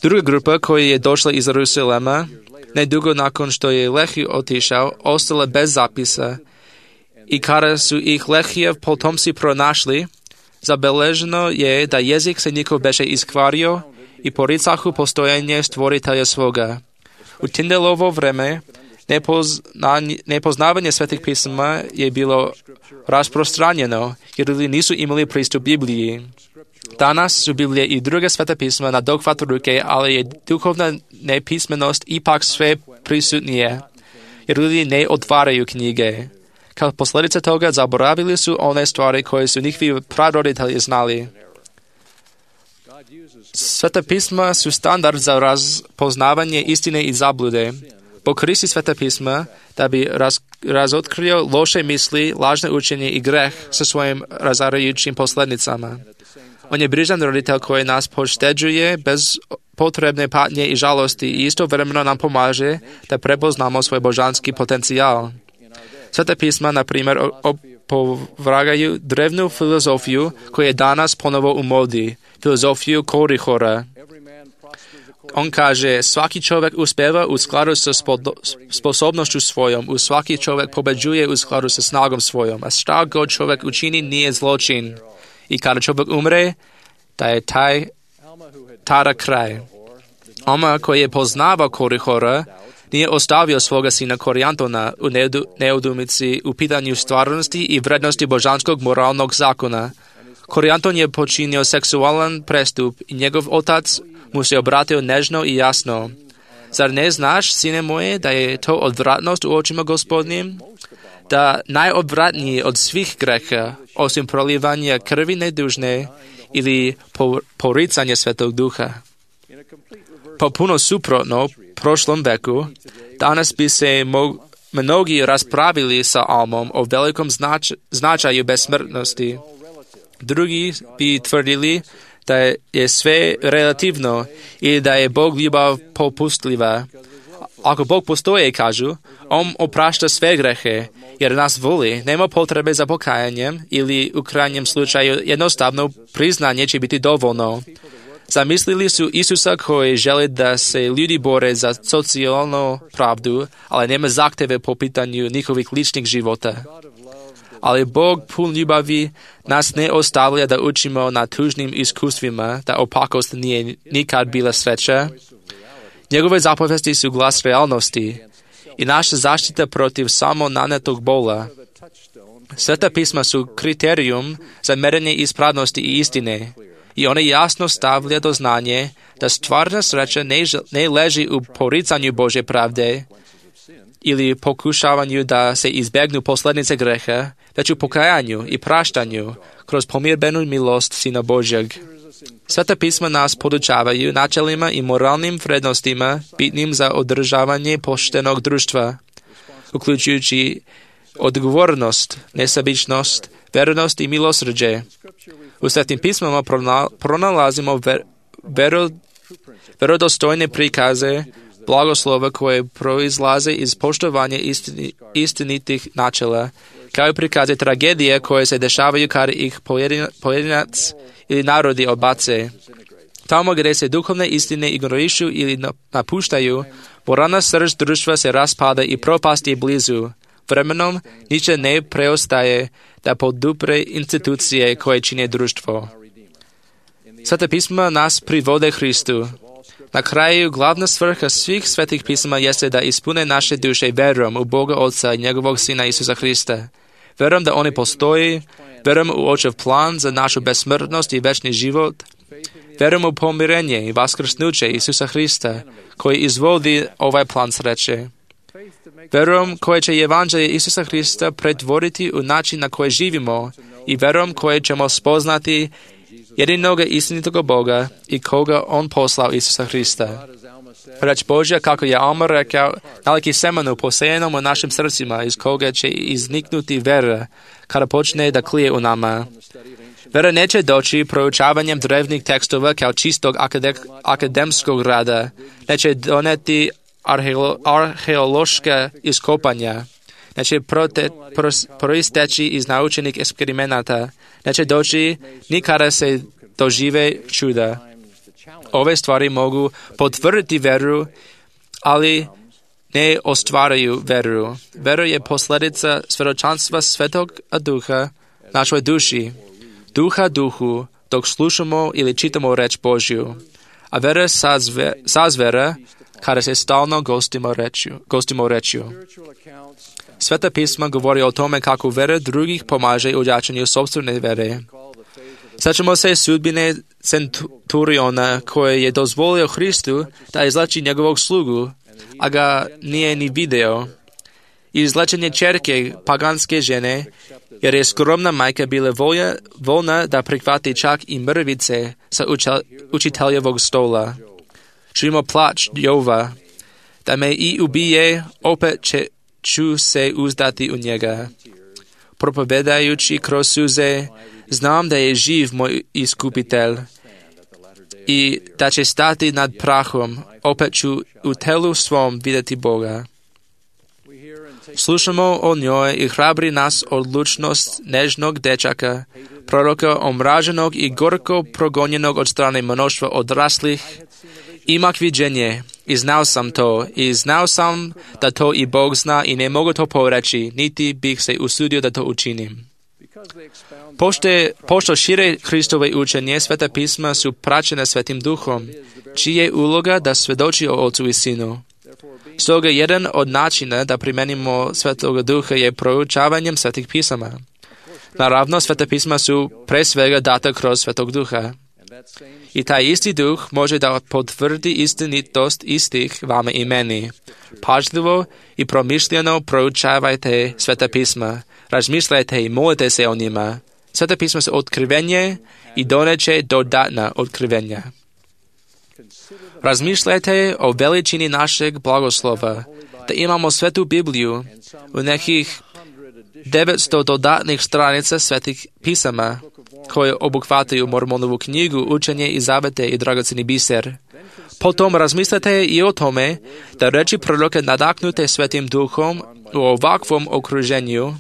Druga grupa koja je došla iz Jerusalema, nedugo nakon što je Lehij otišao, ostala bez zapisa i kada su ih Lehijev potomci pronašli, zabeleženo je da jezik se njihov beše iskvario i poricahu postojanje stvoritelja svoga. U Tindelovo vreme nepoznavanje svetih pisama je bilo rasprostranjeno, jer ljudi nisu imali pristup Bibliji. Danas su Biblije i druge sveta pisma na dohvat ruke, ali je duhovna nepismenost ipak sve prisutnije, jer ljudi ne otvaraju knjige. Kao posljedica toga zaboravili su one stvari koje su njihovi praroditelji znali. Sveta pisma su standard za razpoznavanje istine i zablude. Bog koristi sveta pisma da bi raz, razotkrio loše misli, lažne učenje i greh sa svojim razarajućim posljedicama. On je brižan roditelj koji nas pošteđuje bez potrebne patnje i žalosti i istovremeno nam pomaže da prepoznamo svoj božanski potencijal. Sveta pisma, na primjer, opovragaju drevnu filozofiju koja je danas ponovo u modi, filozofiju Korihora. On kaže, svaki čovjek uspeva u skladu sa sposobnošću svojom, u svaki čovjek pobeđuje u skladu sa snagom svojom, a šta god čovjek učini nije zločin. I kada čovjek umre, da je taj tada kraj. Oma koji je poznavao Korihora, nije ostavio svoga sina Korijantona u neudumici u pitanju stvarnosti i vrednosti božanskog moralnog zakona. Korijanton je počinio seksualan prestup i njegov otac mu se obratio nežno i jasno. Zar ne znaš, sine moje, da je to odvratnost u očima Gospodnjim? Da najodvratniji od svih greha, osim prolivanja krvi nedužne ili poricanje Svetog Duha. Popuno suprotno prošlom veku, danas bi se mo- mnogi raspravili sa Almom o velikom znač- značaju besmrtnosti. Drugi bi tvrdili da je sve relativno i da je Bog ljubav popustljiva. Ako Bog postoje, kažu, On oprašta sve grehe, jer nas voli, nema potrebe za pokajanjem ili u krajnjem slučaju jednostavno priznanje će biti dovoljno. Zamislili su Isusa koji želi da se ljudi bore za socijalnu pravdu, ali nema zahteve po pitanju njihovih ličnih života. Ali Bog pun ljubavi nas ne ostavlja da učimo na tužnim iskustvima, da opakost nije nikad bila sreća. Njegove zapovesti su glas realnosti i naša zaštita protiv samo nanetog bola. Sveta pisma su kriterijum za merenje ispravnosti i istine i one jasno stavlja do znanje da stvarna sreća ne, ne leži u poricanju Božje pravde ili pokušavanju da se izbjegnu posljedice greha, već u pokajanju i praštanju kroz pomirbenu milost Sina Božjeg. Sveta pisma nas podučavaju načelima i moralnim vrednostima bitnim za održavanje poštenog društva, uključujući odgovornost, nesebičnost, vernost i milosrđe. U Svetim pismama pronalazimo ver, vero, verodostojne prikaze blagoslova koje proizlaze iz poštovanja istini, istinitih načela, kao i prikaze tragedije koje se dešavaju kada ih pojedinac ili narodi odbace. Tamo gdje se duhovne istine ignorišu ili napuštaju, moralna srž društva se raspada i propast je blizu. Vremenom niče ne preostaje da podupre institucije koje čine društvo. Sveta pisma nas privode Hristu. Na kraju glavna svrha svih svetih pisama jeste da ispune naše duše verom u Boga Otca i njegovog Sina Isusa Hrista. Verom da oni postoji, verom u Očev plan za našu besmrtnost i večni život, verom u pomirenje i vaskrsnuće Isusa Hrista, koji izvodi ovaj plan sreće. Verom koje će evanđelje Isusa Hrista pretvoriti u način na koji živimo i verom koje ćemo spoznati jedinog istinitog Boga i koga On poslao Isusa Hrista. Reč Božja, kako je Alma rekao, naliki semenu posejenom u našim srcima, iz koga će izniknuti vera, kada počne da klije u nama. Vera neće doći proučavanjem drevnih tekstova kao čistog akademskog rada, neće doneti arheolo, arheološka iskopanja, neće prote, pros, proisteći iz naučenih eksperimenata, neće doći ni kada se dožive čuda. Ove stvari mogu potvrditi veru, ali ne ostvaraju veru. Vera je posljedica svjedočanstva Svetog Duha našoj duši, duha duhu, dok slušamo ili čitamo reč Božju. A vera sazve, sazvera kada se stalno gostimo rečju. Gostimo rečju. Sveta pisma govori o tome kako vera drugih pomaže u jačanju sopstvene vere. Sjećamo se sudbine centuriona koje je dozvolio Hristu da izleči njegovog slugu, a ga nije ni video. I izlečenje ćerke paganske žene, jer je skromna majka bila volja, voljna da prihvati čak i mrvice sa učel, učiteljevog stola. Čujemo plač Jova, da me i ubije, opet će, ću se uzdati u njega. Propovedajući kroz suze, znam da je živ moj iskupitelj i da će stati nad prahom, opet ću u telu svom vidjeti Boga. Slušamo o njoj i hrabri nas odlučnost nežnog dečaka, proroka omraženog i gorko progonjenog od strane mnoštva odraslih. Imak viđenje i znao sam to i znao sam da to i Bog zna i ne mogu to poreći, niti bih se usudio da to učinim. Pošte, pošto šire Hristove učenje, Sveta pisma su praćene Svetim Duhom, čije je uloga da svedoči o Ocu i Sinu. Stoga jedan od načina da primenimo Svetoga Duha je proučavanjem Svetih pisama. Naravno, Sveta pisma su pre svega data kroz Svetog Duha. I taj isti Duh može da potvrdi istinitost istih vama i meni. Pažljivo i promišljeno proučavajte Sveta pisma, razmišljajte i molite se o njima. Sveta pisma su otkrivenje i doneće dodatna otkrivenja. Razmišljajte o veličini našeg blagoslova, da imamo Svetu Bibliju u nekih devetsto dodatnih stranica Svetih pisama, koje obuhvataju Mormonovu knjigu, učenje i zavete i dragoceni biser. Potom razmislite i o tome da reči proroka nadaknute Svetim Duhom u ovakvom okruženju,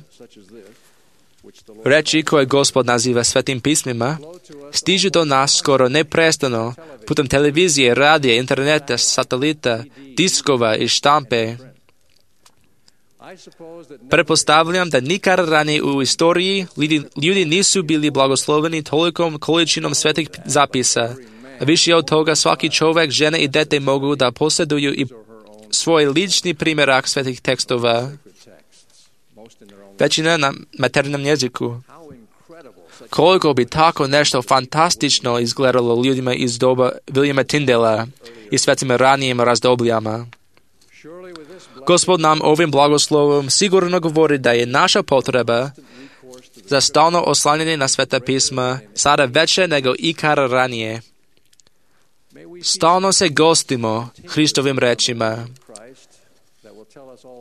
reči koje Gospod naziva Svetim pismima, stižu do nas skoro neprestano putem televizije, radija, interneta, satelita, diskova i štampe. Pretpostavljam da nikad ranije u istoriji ljudi, ljudi nisu bili blagosloveni tolikom količinom svetih zapisa. A više od toga svaki čovjek, žena i dete mogu da posjeduju i svoj lični primjerak svetih tekstova. Većina na maternom jeziku. Koliko bi tako nešto fantastično izgledalo ljudima iz doba Williama Tyndala i svetim ranijim razdobljama. Gospod nam ovim blagoslovom sigurno govori da je naša potreba za stalno oslanjanje na Sveta pisma sada veće nego ikad ranije. Stalno se gostimo Hristovim rečima,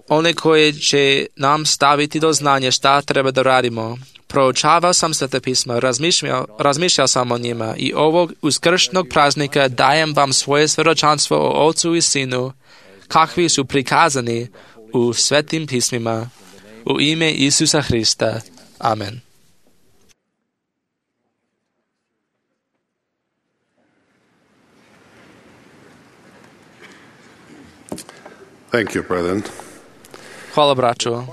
one koje će nam staviti do znanja šta treba da radimo. Proučavao sam Sveta pisma, razmišljao, razmišljao sam o njima i ovog uskršnjeg praznika dajem vam svoje svjedočanstvo o Ocu i Sinu, kakvi su prikazani u Svetim pismima. U ime Isusa Hrista. Amen. Thank you, brethren. Hvala, braćo.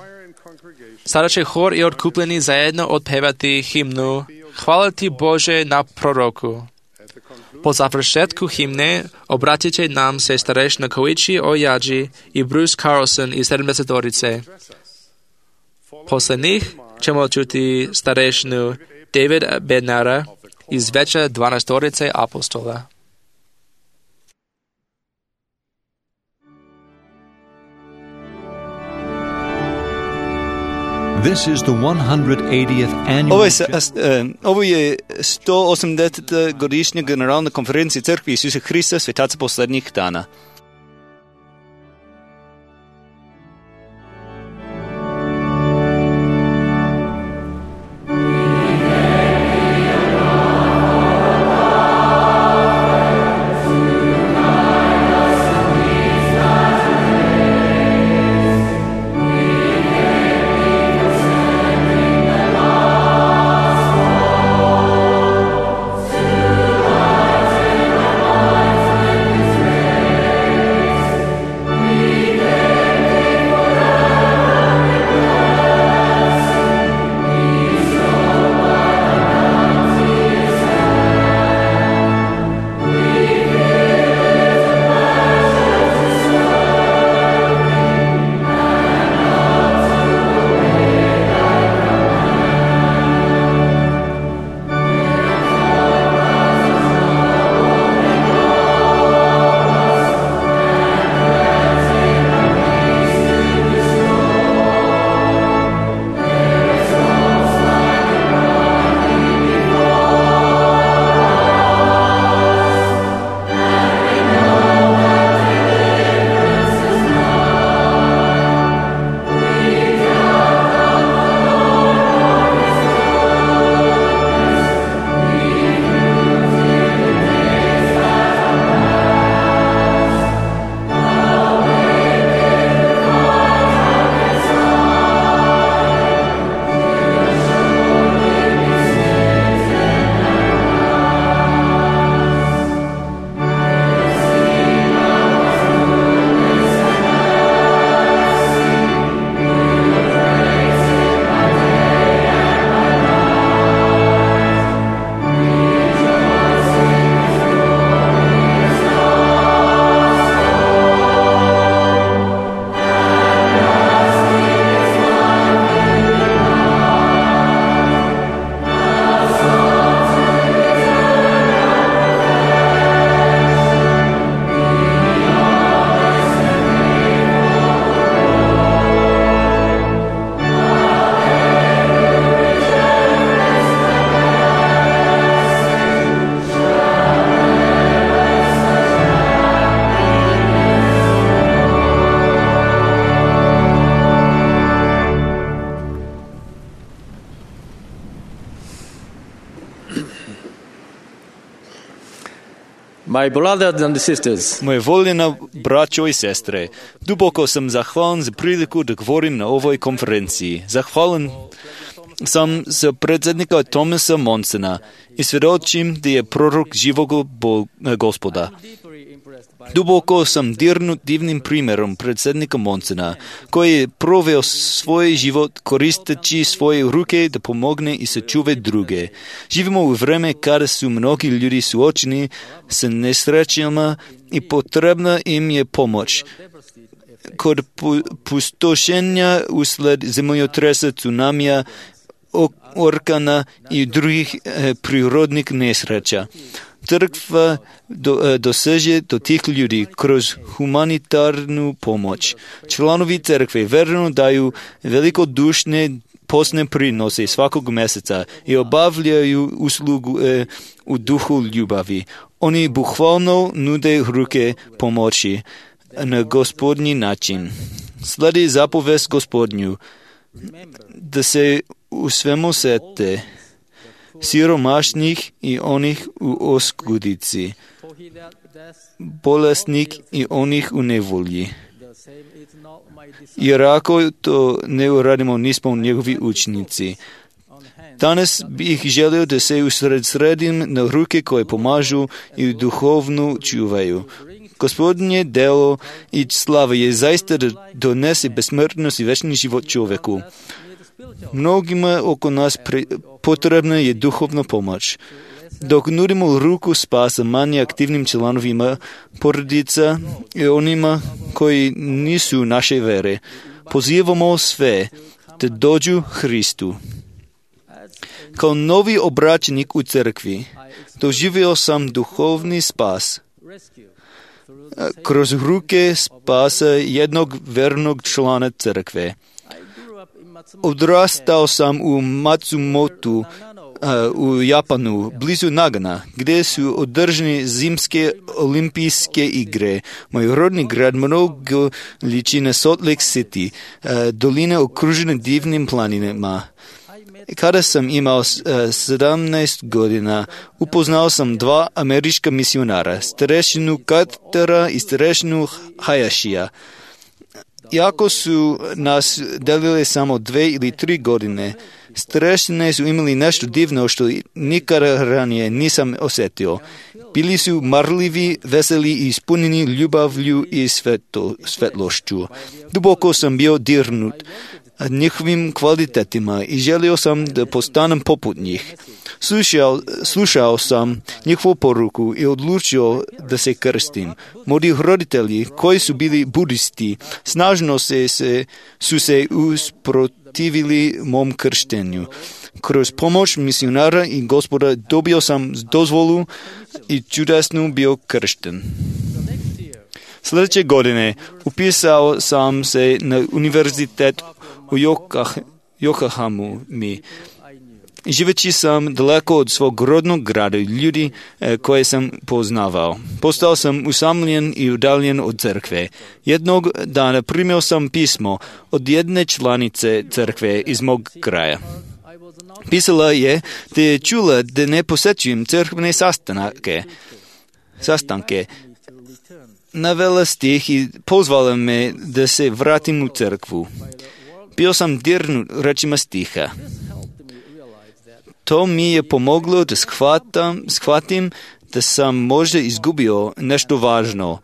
Sada će hor i otkupljeni zajedno otpevati himnu Hvala ti Bože na proroku. Po završetku himne obratit će nam se starešina Koichi Oyaji i Bruce Carlson iz sedamdesetorice. Posle njih ćemo čuti starešinu David Bednara iz veća dvanaestorice apostola. This is the one hundred eightieth annual... Ovo je, uh, ovo je sto osamdeseta godišnja generalna konferencija Crkve Isusa Hrista svetaca posljednjih dana. My brothers and sisters, Moje voljena braćo i sestre, duboko sam zahvalan za priliku da govorim na ovoj konferenciji. Zahvalan sam za predsjednika Thomasa Monsona i svjedočim da je prorok živog Gospoda. Duboko sam dirnut divnim primjerom predsjednika Monsona, koji je proveo svoj život koristeći svoje ruke da pomogne i sačuve druge. Živimo u vreme kada su mnogi ljudi suočeni sa nesrećama i potrebna im je pomoć. Kod pustošenja usled zemljotresa, tsunamija, orkana i drugih e, prirodnih nesreća. Crkva do, e, doseže do tih ljudi kroz humanitarnu pomoć. Članovi crkve verno daju velikodušne posne prinose svakog mjeseca i obavljaju uslugu e, u duhu ljubavi. Oni bukvalno nude ruke pomoći na Gospodnji način. Sledi zapovest Gospodnju da se u svemu sete siromašnih i onih u oskudici, bolesnih i onih u nevolji. Jer ako to ne uradimo, nismo njegovi učenici. Danas bih želio da se usredsredim na ruke koje pomažu i duhovno čuvaju. Gospodnje delo i slava je zaista da donese besmrtnost i večni život čovjeku. Mnogima oko nas pre, potrebna je duhovna pomoć. Dok nudimo ruku spasa manje aktivnim članovima porodica i onima koji nisu naše vere, pozivamo sve da dođu Hristu. Kao novi obraćenik u crkvi doživio sam duhovni spas kroz ruke spasa jednog vernog člana crkve. Odrastao sam u Matsumotu u Japanu, blizu Nagana, gdje su održane zimske olimpijske igre. Moj rodni grad mnogo liči na Salt Lake City, doline okružene divnim planinama. Kada sam imao sedamnaest godina, upoznao sam dva američka misionara, starešinu Cartera i starešinu Hayashija. Iako su nas delile samo dve ili tri godine, starešine su imali nešto divno što nikada ranije nisam osjetio. Bili su marljivi, veseli i ispunjeni ljubavlju i svetlo, svetlošću. Duboko sam bio dirnut njihovim kvalitetima i želio sam da postanem poput njih. Slušao, slušao sam njihovu poruku i odlučio da se krstim. Moji roditelji, koji su bili budisti, snažno se, se, su se usprotivili mom krštenju. Kroz pomoć misionara i Gospoda dobio sam dozvolu i čudesno bio kršten. Sljedeće godine upisao sam se na univerzitet u Yokohamu. Živeći sam daleko od svog rodnog grada i ljudi e, koje sam poznavao. Postao sam usamljen i udaljen od crkve. Jednog dana primio sam pismo od jedne članice crkve iz mog kraja. Pisala je da je čula da ne posjećujem crkvene sastanke. sastanke. Navela stih i pozvala me da se vratim u crkvu. Bio sam dirnut rečima stiha. To mi je pomoglo da shvatam, shvatim da sam možda izgubio nešto važno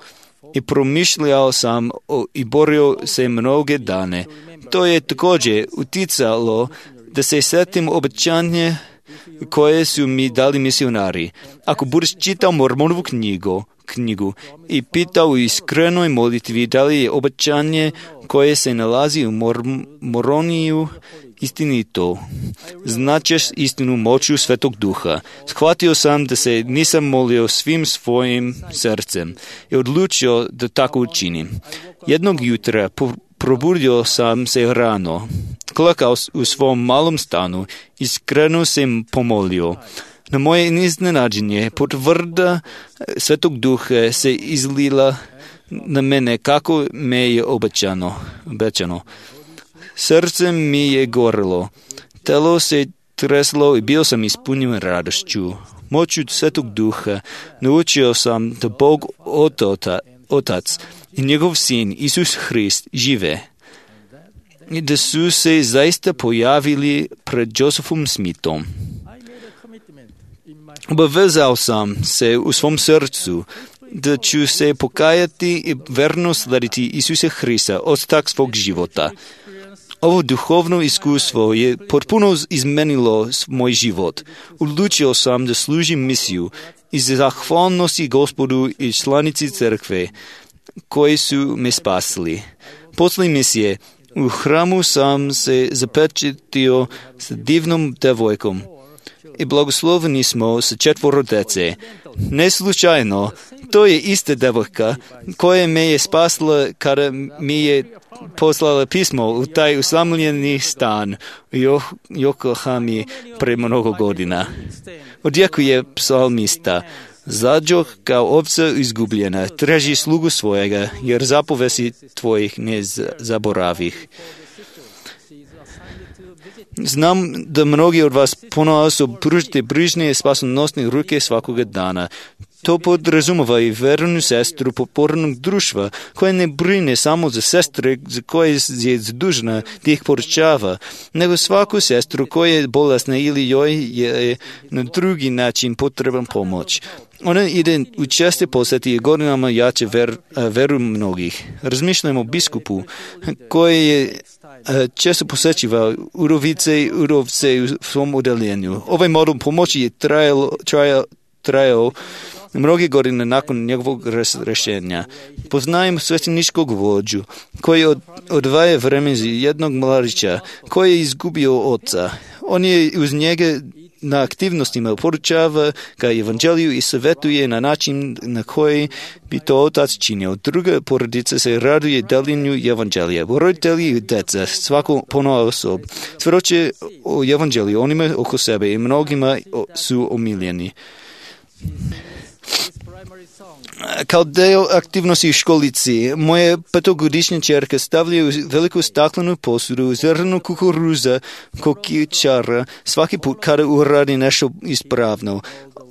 i promišljao sam o, i borio se mnoge dane. To je također uticalo da se sjetim obećanje koje su mi dali misionari. Ako budeš čitao Mormonovu knjigu, knjigu i pitao u iskrenoj molitvi da li je obećanje koje se nalazi u Mor- Moroniju istinito, značeš istinu moću Svetog Duha. Shvatio sam da se nisam molio svim svojim srcem i odlučio da tako učinim. Jednog jutra probudio sam se rano, klakao u svom malom stanu, iskreno sam pomolio. Na moje iznenađenje, potvrda Svetog Duha se izlila na mene kako me je obećano. obećano. Srce mi je gorilo, telo se treslo i bio sam ispunjen radošću. Moću Svetog Duha naučio sam da Bog Otota, Otac i njegov sin Isus Hrist žive i da su se zaista pojavili pred Josephom Smithom. Obavezao sam se u svom srcu da ću se pokajati i verno slediti Isusa Hrista ostatak svog života. Ovo duhovno iskustvo je potpuno izmenilo moj život. Odlučio sam da služim misiju i zahvalnosti Gospodu i članici crkve koji su me spasili. Posle misije u hramu sam se zapečatio s divnom devojkom i blagosloveni smo sa četvoro dece. Ne slučajno, to je ista devojka koja me je spasila kada mi je poslala pismo u taj usamljeni stan u Yokohami pre mnogo godina. Odjekuje psalmista: Zađoh kao ovca izgubljena, traži slugu svojega, jer zapovesti tvojih ne zaboravih. Znam da mnogi od vas ponovo pružite brižne i spasonosne ruke svakoga dana. To podrazumeva i vernu sestru popornog društva, koja ne brine samo za sestre za koje je zadužena da ih poručava, nego svaku sestru koja je bolesna ili joj je na drugi način potreban pomoć. Ona ide u česte posjeti i godinama jače ver, veru mnogih. Razmišljamo o biskupu koji je često posjećiva udovice i udovce u svom udeljenju. Ovaj model pomoći je trajao, trajao, trajao mnogi godine nakon njegovog rješenja. Poznajem svećeničkog vođu koji od, odvaja vreme za jednog mladića koji je izgubio oca. On je uz njega na aktivnostima poručava ga evanđeliju i savjetuje na način na koji bi to otac činio. Druga porodica se raduje deljenju evanđelija. Roditelji i deca, svako ponovo osob, svjedoče o evanđeliju onima oko sebe i mnogima su omiljeni. Kao deo aktivnosti u školici, moje petogodišnje čerke stavljaju veliku staklenu posudu zrnu kukuruza kokičara svaki put kada uradi nešto ispravno.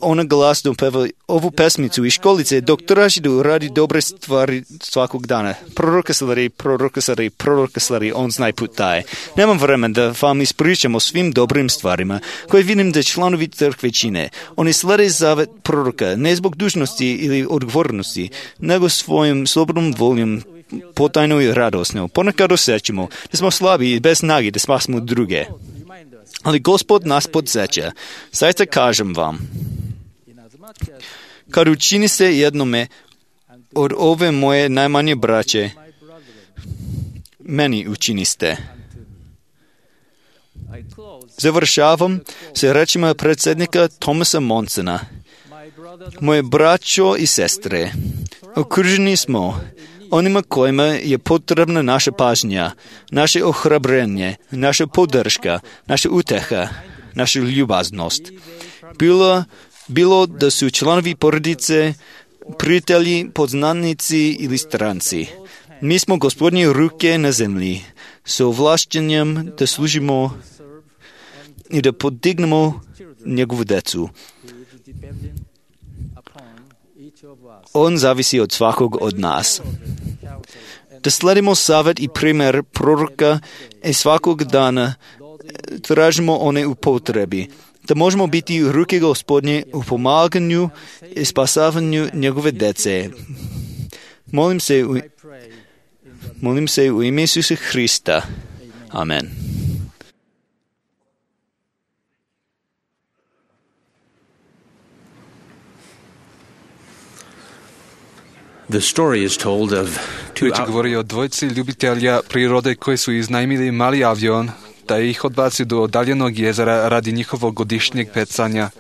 Ona glasno peva ovu pesmicu iz školice dok traži da uradi dobre stvari svakog dana. Proroka slari, proroka slari, proroka slari, on znaj put taj. Nemam vremena da vam ispričam o svim dobrim stvarima koje vidim da članovi crkve čine. Oni slede zavet proroka ne zbog dužnosti ili odgovornosti, nego svojim slobodnom voljom potajno i radosno. Ponekad osjećamo da smo slabi i bez snage da spasimo druge. Ali Gospod nas podsjeća. Zaista kažem vam, kad učini se jednome od ove moje najmanje braće, meni učiniste. Završavam se rečima predsjednika Thomasa Monsona. Moje braćo i sestre, okruženi smo onima kojima je potrebna naša pažnja, naše ohrabrenje, naša podrška, naša uteha, naša ljubaznost. Bilo, bilo da su članovi porodice, prijatelji, poznanici ili stranci. Mi smo Gospodnje ruke na zemlji, s ovlašćenjem da služimo i da podignemo njegovu decu. On zavisi od svakog od nas. Da sledimo savjet i primjer proroka i svakog dana tražimo one u potrebi. Da možemo biti u ruke Gospodnje u pomaganju i spasavanju njegove dece. Molim se u, molim se u ime Isusa Hrista. Amen. The story is told of two Priča govori o dvojci ljubitelja prirode koji su iznajmili mali avion da ih odbaci do odaljenog jezera radi njihovog godišnjeg pecanja.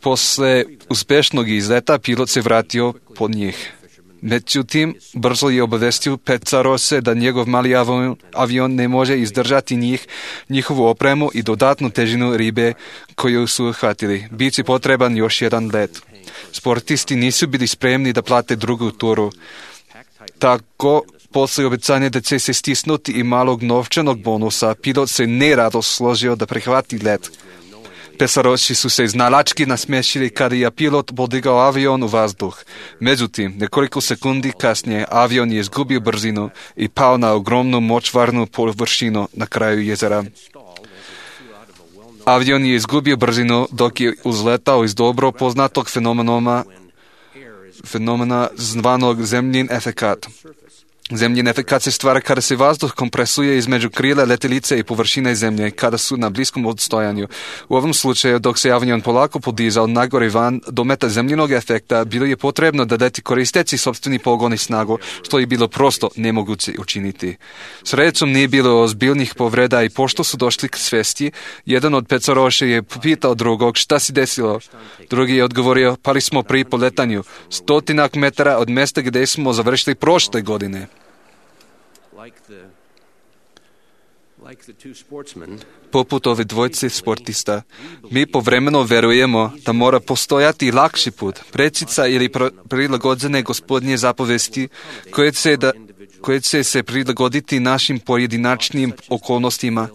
Posle uspešnog izleta pilot se vratio pod njih. Međutim, brzo je obavestio pecarose da njegov mali avion, avion ne može izdržati njih, njihovu opremu i dodatnu težinu ribe koju su hvatili. Biće potreban još jedan let. Sportisti nisu bili spremni da plate drugu turu. Tako После обещания да će se stisnuti i malog novčanog bonusa, pilot se nerado složio da prihvati let. Pesaroši su se znalački nasmešili kada je pilot podigao avion u vazduh. Međutim, nekoliko sekundi kasnije avion je izgubio brzinu i pao na ogromnu močvarnu površinu na kraju jezera. Avion je izgubio brzinu dok je uzletao iz dobro poznatog fenomena, fenomena zvanog zemljin efekat. Zemljin efekat se stvara kada se vazduh kompresuje između krila letjelice i površine zemlje kada su na bliskom odstojanju. U ovom slučaju, dok se avion polako podizao nagore van do meta zemljinog efekta, bilo je potrebno da leti koristeći sopstveni pogon i snagu, što je bilo prosto nemoguće učiniti. Srećom nije bilo ozbiljnih povreda i pošto su došli k svesti, jedan od pecaroša je pitao drugog šta si desilo. Drugi je odgovorio, pali smo pri poletanju, stotinak metara od mjesta gdje smo završili prošle godine. Poput ove dvojce sportista, mi povremeno verujemo da mora postojati lakši put, prečica ili prilagođene gospodnje zapovesti koje će, da, koje će se prilagoditi našim pojedinačnim okolnostima.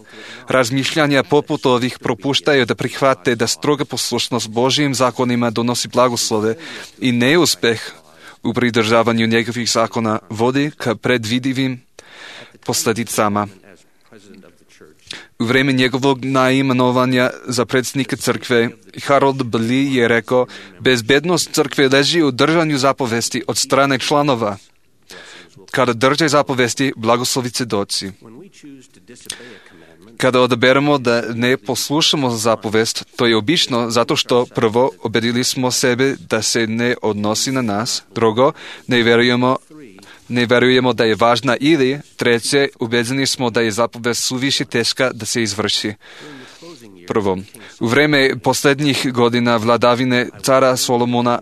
Razmišljanja poput ovih propuštaju da prihvate da stroga poslušnost Božjim zakonima donosi blagoslove i neuspeh u pridržavanju njegovih zakona vodi ka predvidivim posljedicama. U vrijeme njegovog naimenovanja za predsjednika crkve, Harold Blee je rekao, bezbednost crkve leži u držanju zapovesti od strane članova. Kada drže zapovesti, blagoslovi će doći. Kada odaberemo da ne poslušamo zapovest, to je obično zato što prvo ubedili smo sebe da se ne odnosi na nas, drugo, ne vjerujemo Ne verujemo da je važna ili, treće, ubeđeni smo da je zapovest suviše teška da se izvrši. Prvo, u vrijeme posljednjih godina vladavine cara Solomona,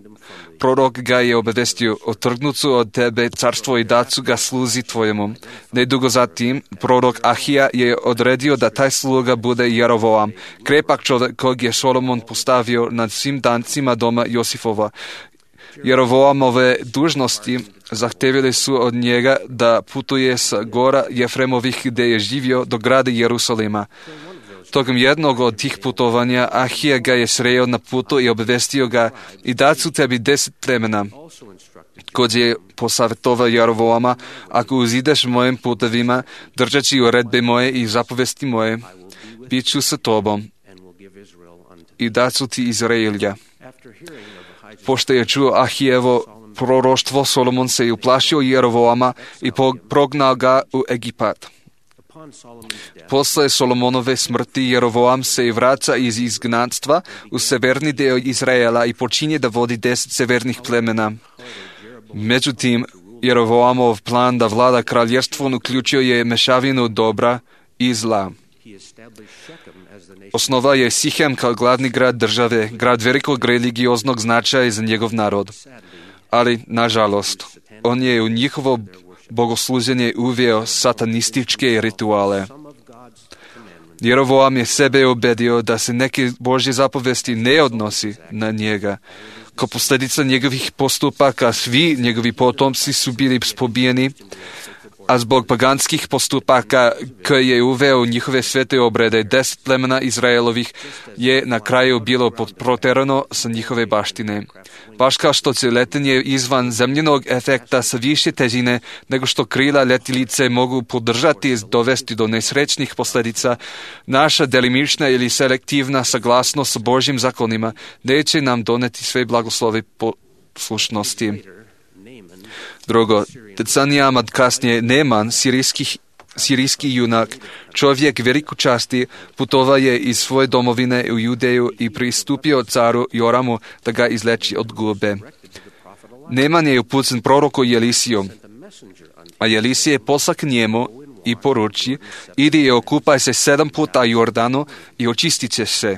prorok ga je obavestio, otrgnucu od tebe carstvo i dacu ga sluzi tvojemu. Nedugo zatim, prorok Ahija je odredio da taj sluga bude Jerovoam, krepak čovjek kog je Solomon postavio nad svim dancima doma Josifova. Jerovoamove dužnosti zahtevili su od njega da putuje sa gora Jefremovih gdje je živio do grada Jerusalima. Tokom jednog od tih putovanja Ahija ga je sreo na putu i obavestio ga i dat su tebi deset plemena. Kod je posavjetovao Jerovoama, ako uzideš mojim putevima, držeći uredbe moje i zapovesti moje, bit ću sa tobom i dat su ti Izraelja. Pošto je čuo Ahijevo proroštvo, Solomon se je uplašio Jerovoama i prognao ga u Egipat. Posle Solomonove smrti Jerovoam se i vraća iz izgnanstva u severni dio Izraela i počinje da vodi deset severnih plemena. Međutim, Jerovoamov plan da vlada kraljevstvom uključio je mešavinu dobra i zla. Osnova je Sihem kao glavni grad države, grad velikog religioznog značaja za njegov narod. Ali, nažalost, on je u njihovo bogosluženje uveo satanističke rituale. Jerovoam je sebe ubedio da se neke Božje zapovesti ne odnosi na njega. Kao posljedica njegovih postupaka svi njegovi potomci su bili pobijeni, a zbog paganskih postupaka koje je uveo u njihove svete obrede, deset plemena Izraelovih je na kraju bilo proterano sa njihove baštine. Baš kao što će letenje izvan zemljenog efekta sa više težine nego što krila letjelice mogu podržati i dovesti do nesrećnih posljedica, naša delimična ili selektivna saglasnost sa Božjim zakonima neće nam doneti sve blagoslove poslušnosti. Drugo, decenijama kasnije Neman, sirijski, sirijski junak, čovjek veliku časti, putovao je iz svoje domovine u Judeju i pristupio caru Joramu da ga izleči od gube. Neman je upućen proroku Jelisiju, a Jelisije posla k njemu i poruči, idi i okupaj se sedam puta Jordanu i očistit će se.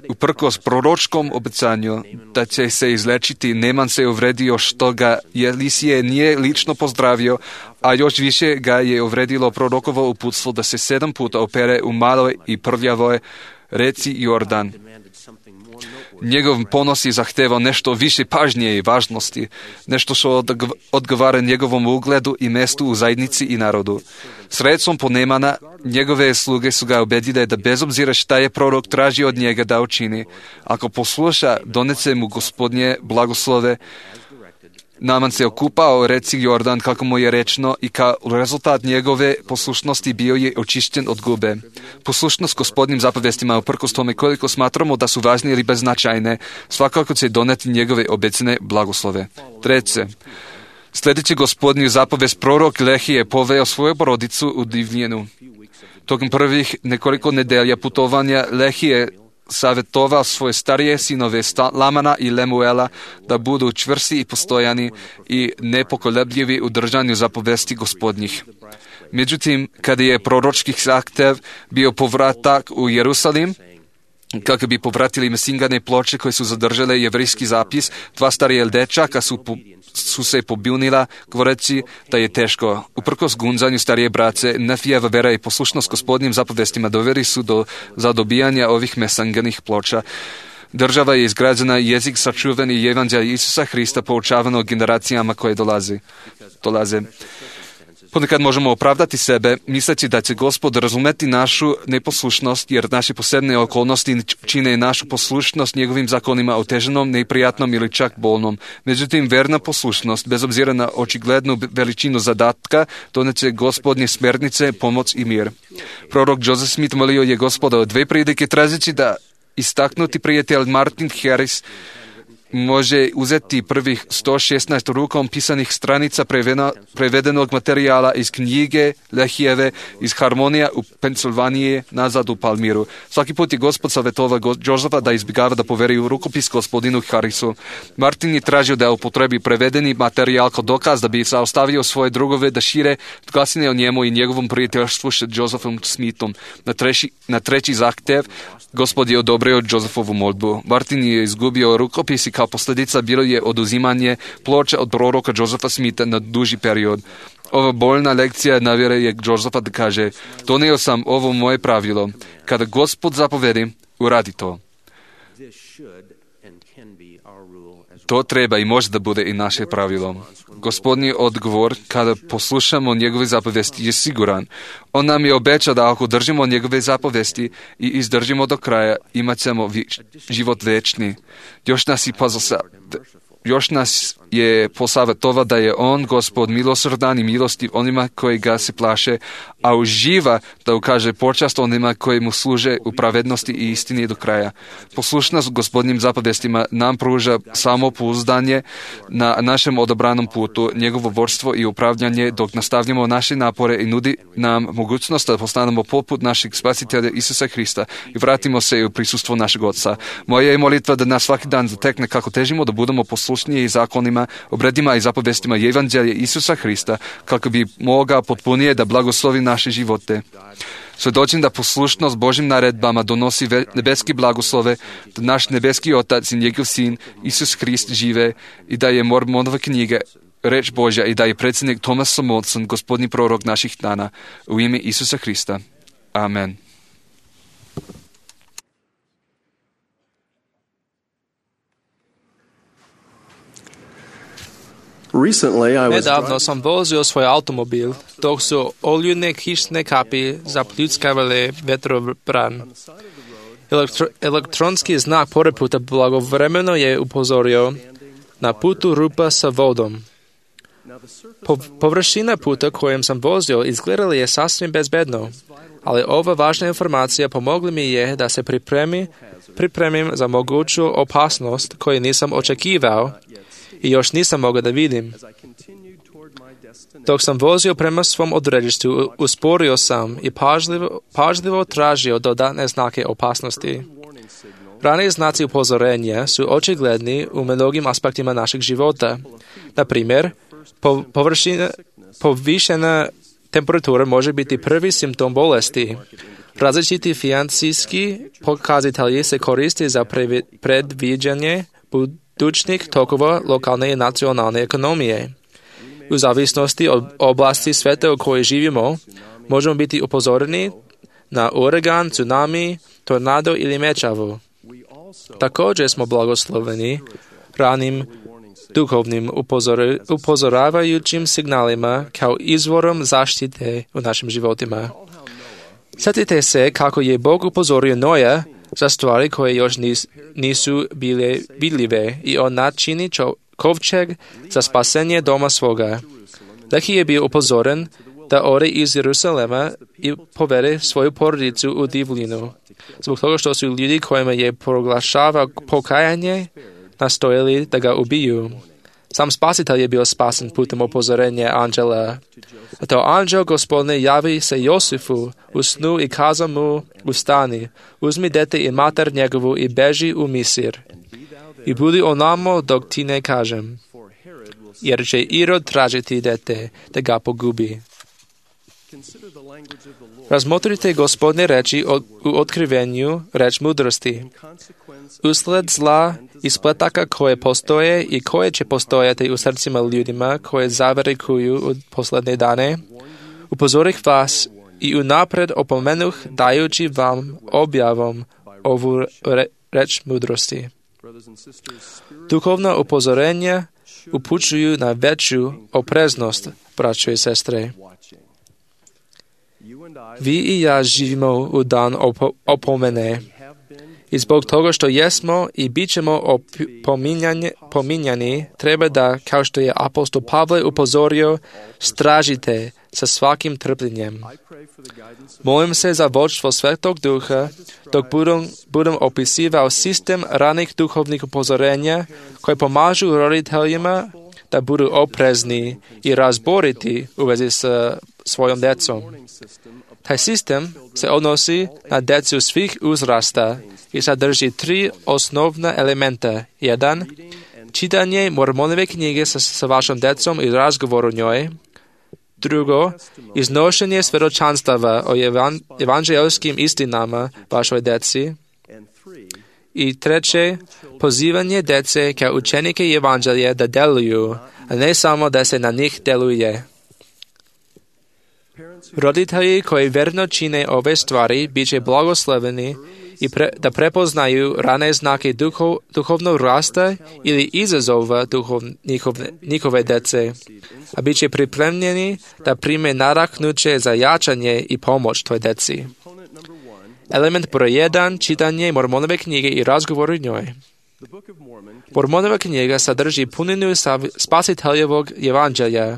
Uprkos proročkom obećanju da će se izlečiti, Neman se uvredio što ga Jelisije nije lično pozdravio, a još više ga je uvredilo prorokovo uputstvo da se sedam puta opere u maloj i prljavoj reci Jordan. Njegov ponos je zahtevao nešto više pažnje i važnosti, nešto što odgovara njegovom ugledu i mestu u zajednici i narodu. Sredstvom ponemana, njegove sluge su ga ubedile da bez obzira šta je prorok tražio od njega da učini, ako posluša, donese mu Gospodnje blagoslove. Naaman se okupao reci Jordan, kako mu je rečeno, i kao rezultat njegove poslušnosti bio je očišćen od gube. Poslušnost Gospodnjim zapovestima, uprkos tome koliko smatramo da su važne ili beznačajne, svakako će doneti njegove obecene blagoslove. Treće, sljedeći Gospodnju zapovest, prorok Lehije poveo svoju porodicu u divljinu. Tokom prvih nekoliko nedelja putovanja Lehije savjetovao svoje starije sinove Lamana i Lemuela da budu čvrsti i postojani i nepokolebljivi u držanju zapovesti Gospodnjih. Međutim, kada je proročki zahtev bio povratak u Jerusalim, kako bi povratili mesingane ploče koje su zadržale jevrijski zapis, dva starije dečaka su, po, su se pobunila, govoreći da je teško. Uprkos gunzanju starije brace, Nefijeva vera i poslušnost Gospodnjim zapovestima doveli su do zadobijanja ovih mesanganih ploča. Država je izgrađena, jezik sačuvan i evanđelje Isusa Hrista poučavano generacijama koje dolazi, dolaze. Ponekad možemo opravdati sebe, misleći da će Gospod razumeti našu neposlušnost, jer naše posebne okolnosti čine našu poslušnost njegovim zakonima oteženom, neprijatnom ili čak bolnom. Međutim, verna poslušnost, bez obzira na očiglednu veličinu zadatka, doneće Gospodnje smernice, pomoć i mir. Prorok Joseph Smith molio je Gospoda o dve prilike, tražeći da istaknuti prijatelj Martin Harris može uzeti prvih sto šesnaest rukom pisanih stranica prevedenog materijala iz knjige Lehijeve iz Harmonija u Pensilvaniji nazad u Palmiru. Svaki put je Gospod savjetovao Josefa da izbjegava da poveri u rukopis gospodinu Harrisu. Martin je tražio da upotrebi prevedeni materijal kao dokaz da bi zaustavio svoje drugove da šire glasine o njemu i njegovom prijateljstvu s Josephom Smithom. Na treći, na treći zahtjev Gospod je odobrio Josephovu molbu. Martin je izgubio rukopis i kao posljedica bilo je oduzimanje ploča od proroka Josepha Smitha na duži period. Ova bolna lekcija navjera je Josefa da kaže: donio sam ovo moje pravilo. Kada Gospod zapovedi, uradi to. To treba i može da bude i naše pravilo. Gospodnji odgovor, kada poslušamo njegove zapovesti, je siguran. On nam je obećao da ako držimo njegove zapovesti i izdržimo do kraja, imat ćemo vi, život večni. Još nas i pozasa, još nas je posavjetovao da je on, Gospod, milosrdan i milostiv onima koji ga se plaše, a uživa da ukaže počast onima koji mu služe u pravednosti i istini do kraja. Poslušnost Gospodnjim zapovestima nam pruža samopouzdanje na našem odabranom putu, njegovo vodstvo i upravljanje dok nastavljamo naše napore i nudi nam mogućnost da postanemo poput našeg spasitelja Isusa Hrista i vratimo se u prisustvo našeg Oca. Moja je molitva da nas svaki dan zatekne kako težimo da budemo poslušniji zakonima, obredima i zapovestima evanđelja Isusa Hrista, kako bi mogao potpunije da blagoslovi naše živote. Svjedočim da poslušnost Božjim naredbama donosi nebeski blagoslove, da naš nebeski Otac i njegov Sin Isus Hrist žive i da je Mormonova knjiga reč Božja i da je predsjednik Thomas Monson gospodnji prorok naših dana. U ime Isusa Hrista. Amen. Nedavno sam vozio svoj automobil, dok su oljune kišne kapi zapljuckavale vetrovran. Elektro, elektronski znak pored puta blagovremeno je upozorio na putu rupa sa vodom. Po, površina puta kojem sam vozio izgledala je sasvim bezbedno, ali ova važna informacija pomogla mi je da se pripremi, pripremim za moguću opasnost koju nisam očekivao i još nisam mogao da vidim. Dok sam vozio prema svom odredištu, usporio sam i pažljivo, pažljivo tražio dodatne znake opasnosti. Rani znaci upozorenja su očigledni u mnogim aspektima našeg života. Na primjer, po, površina, povišena temperatura može biti prvi simptom bolesti. Različiti financijski pokazatelji se koriste za predviđanje budućnih tokova lokalne i nacionalne ekonomije. U zavisnosti od oblasti sveta u kojoj živimo, možemo biti upozoreni na uragan, tsunami, tornado ili mečavu. Također smo blagosloveni ranim duhovnim upozor, upozoravajućim signalima kao izvorom zaštite u našim životima. Sjetite se kako je Bog upozorio Noja za stvari koje još nis, nisu bile vidljive i on načini čo, kovčeg za spasenje doma svoga. Lehi je bio upozoren da ode iz Jerusalema i povede svoju porodicu u divljinu. Zbog toga što su ljudi kojima je proglašava pokajanje nastojali da ga ubiju. Sam spasitelj je bio spasen putem upozorenja anđela. A to anđel Gospodne javi se Josifu u snu i kaza mu ustani, uzmi dete i mater njegovu i beži u Misir. I budi onamo dok ti ne kažem, jer će Irod tražiti dete da ga pogubi. Razmotrite Gospodne reči u otkrivenju reč mudrosti. Usled zla i spletaka koje postoje i koje će postojati u srcima ljudima koje zaverikuju u poslednje dane, upozorih vas i unapred opomenuh dajući vam objavom ovu re, reč mudrosti. Duhovna upozorenja upućuju na veću opreznost, braćo i sestre. Vi i ja živimo u dan op- opomene. I zbog toga što jesmo i bit ćemo opominjani, pominjani, treba da, kao što je apostol Pavle upozorio, stražite sa svakim trpljenjem. Molim se za vodstvo Svetog Duha, dok budem, budem opisivao sistem ranih duhovnih upozorenja koji pomažu roditeljima da budu oprezni i razboriti u vezi s svojom djecom. Taj sistem se odnosi na djecu svih uzrasta i sadrži tri osnovna elementa. Jedan, čitanje Mormonove knjige sa, sa vašom djecom i razgovor o njoj. Drugo, iznošenje svjedočanstava o evan, evanđelskim istinama vašoj djeci. I treće, pozivanje djece kao učenike evanđelja da deluju, a ne samo da se na njih deluje. Roditelji koji verno čine ove stvari bit će blagosloveni i pre, da prepoznaju rane znake duhov, duhovnog rasta ili izazova duhov, njihove, njihove djece, a bit će pripremljeni da prime nadahnuće za jačanje i pomoć toj djeci. Element broj jedan, čitanje Mormonove knjige i razgovor o njoj. Mormonova knjiga sadrži puninu spasiteljevog evanđelja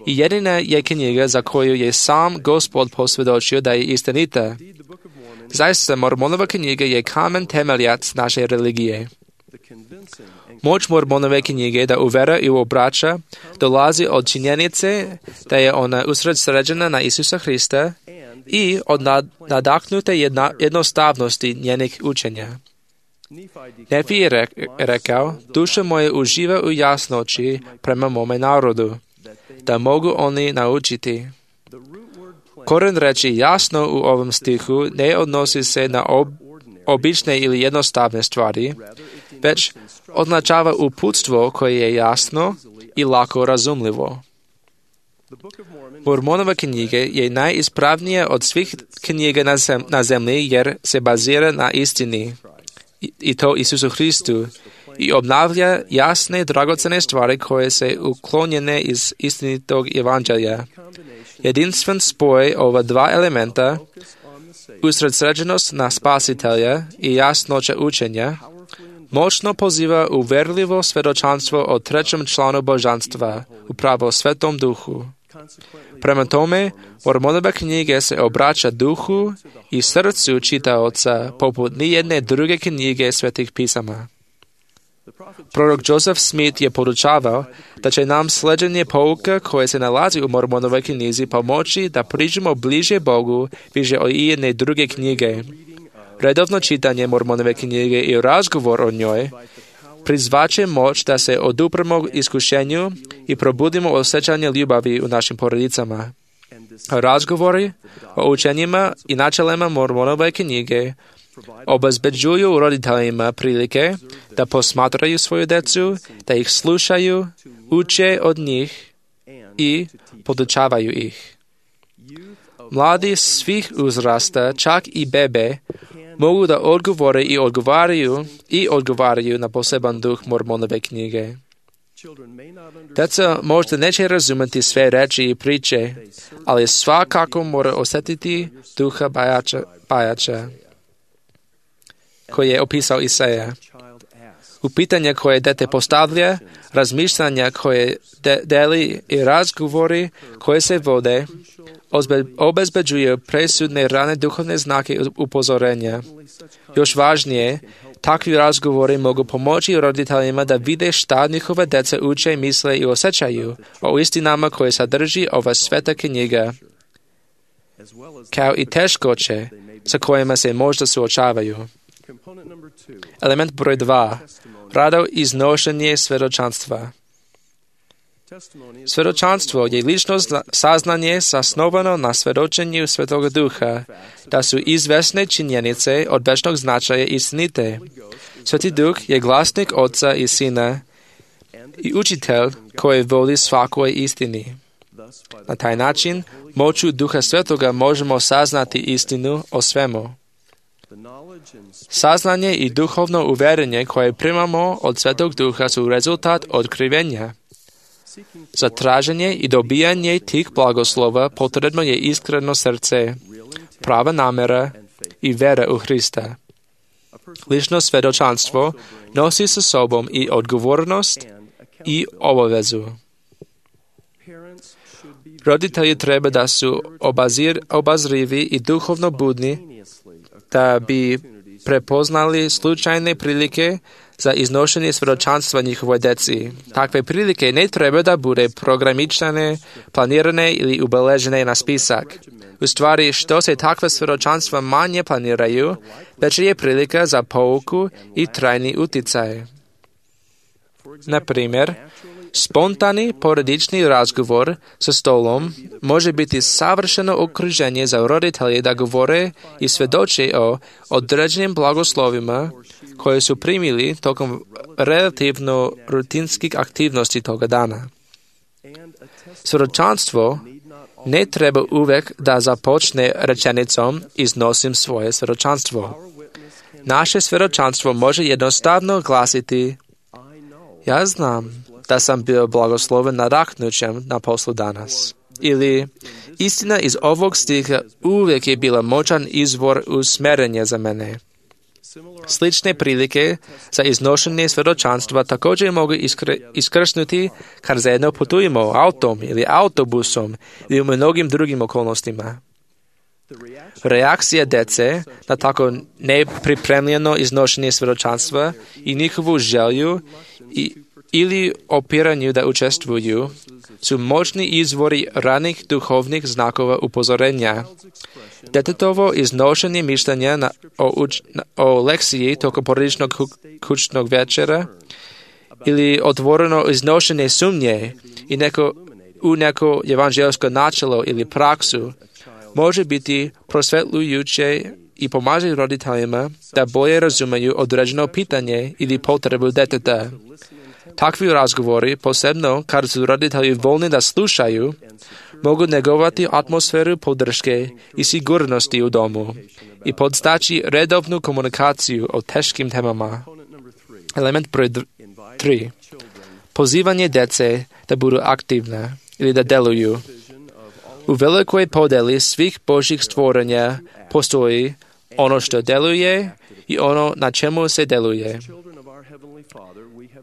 i jedina je knjiga za koju je sam Gospod posvjedočio da je istinita. Zaista, Mormonova knjiga je kamen temeljac naše religije. Moć Mormonove knjige da uvera i obraća dolazi od činjenice da je ona usredsređena na Isusa Hrista i od nadahnute jedna, jednostavnosti njenih učenja. Nefi je rekao, duša moja uživa u jasnoći prema mome narodu, da mogu oni naučiti. Koren reči jasno u ovom stihu ne odnosi se na ob, obične ili jednostavne stvari, već označava uputstvo koje je jasno i lako razumljivo. Mormonova knjiga je najispravnija od svih knjiga na, zem, na zemlji jer se bazira na istini, i, i to Isusu Hristu, i obnavlja jasne, dragocene stvari koje se uklonjene iz istinitog evanđelja. Jedinstven spoj ova dva elementa, usredsređenost na spasitelja i jasnoća učenja, moćno poziva u verljivo svjedočanstvo o trećem članu božanstva, upravo Svetom Duhu. Prema tome, Mormonova knjiga se obraća duhu i srcu čitaoca poput nijedne druge knjige svetih pisama. Prorok Joseph Smith je podučavao da će nam sleđenje pouka koje se nalazi u Mormonovoj knjizi pomoći da priđemo bliže Bogu više od ijedne druge knjige. Redovno čitanje Mormonove knjige i razgovor o njoj prizvaće moć da se odupremo iskušenju i probudimo osjećanje ljubavi u našim porodicama. Razgovori o učenjima i načelima Mormonove knjige obezbeđuju roditeljima prilike da posmatraju svoju djecu, da ih slušaju, uče od njih i podučavaju ih. Mladi svih uzrasta, čak i bebe, mogu da odgovore i odgovaraju i odgovaraju na poseban duh Mormonove knjige. Deca možda neće razumeti sve reči i priče, ali svakako mora osjetiti duha bajača, bajača koji je opisao Isaija. U pitanja koje dete postavlja, razmišljanja koje de- deli i razgovori koje se vode, ozbe- obezbeđuju presudne rane duhovne znake upozorenja. Još važnije, takvi razgovori mogu pomoći roditeljima da vide šta njihove deca uče, misle i osjećaju o istinama koje sadrži ova sveta knjiga, kao i teškoće sa kojima se možda suočavaju. Element broj dva. Rado iznošenje svjedočanstva. Svjedočanstvo je lično saznanje zasnovano na svjedočenju Svetoga Duha, da su izvesne činjenice od večnog značaja istinite. Sveti Duh je glasnik Oca i Sina i učitelj koji vodi svakoj istini. Na taj način, moću Duha Svetoga možemo saznati istinu o svemu. Saznanje i duhovno uvjerenje koje primamo od Svetog Duha su rezultat otkrivenja. Za traženje i dobijanje tih blagoslova potrebno je iskreno srce, prava namjera i vera u Hrista. Lično svjedočanstvo nosi sa sobom i odgovornost i obavezu. Roditelji treba da su obazir, obazrivi i duhovno budni, da bi prepoznali slučajne prilike za iznošenje svjedočanstva njihovoj deci. Takve prilike ne treba da bude programičane, planirane ili ubeležene na spisak. U stvari, što se takve svjedočanstva manje planiraju, veća je prilika za pouku i trajni uticaj. Na primjer, spontani porodični razgovor sa stolom može biti savršeno okruženje za roditelje da govore i svjedoče o određenim blagoslovima koje su primili tokom relativno rutinskih aktivnosti toga dana. Svjedočanstvo ne treba uvek da započne rečenicom iznosim svoje svjedočanstvo. Naše svjedočanstvo može jednostavno glasiti ja znam da sam bio blagosloven nadahnućem na poslu danas. Ili, istina iz ovog stiha uvijek je bila moćan izvor usmjerenja za mene. Slične prilike za iznošenje svjedočanstva također mogu iskr- iskrsnuti kad zajedno putujemo autom ili autobusom ili u mnogim drugim okolnostima. Reakcija dece na tako nepripremljeno iznošenje svjedočanstva i njihovu želju i ili opiranju da učestvuju su moćni izvori ranih duhovnih znakova upozorenja. Detetovo iznošenje mišljenja na, o, uč, na, o lekciji tokom porodičnog kućnog večera ili otvoreno iznošenje sumnje i neko, u neko evanđelsko načelo ili praksu može biti prosvetlujuće i pomaže roditeljima da bolje razumiju određeno pitanje ili potrebu deteta. Takvi razgovori, posebno kad su roditelji voljni da slušaju, mogu negovati atmosferu podrške i sigurnosti u domu i podstaći redovnu komunikaciju o teškim temama. Element broj tri. Pozivanje dece da budu aktivne ili da deluju. U velikoj podeli svih Božjih stvorenja postoji ono što deluje i ono na čemu se deluje.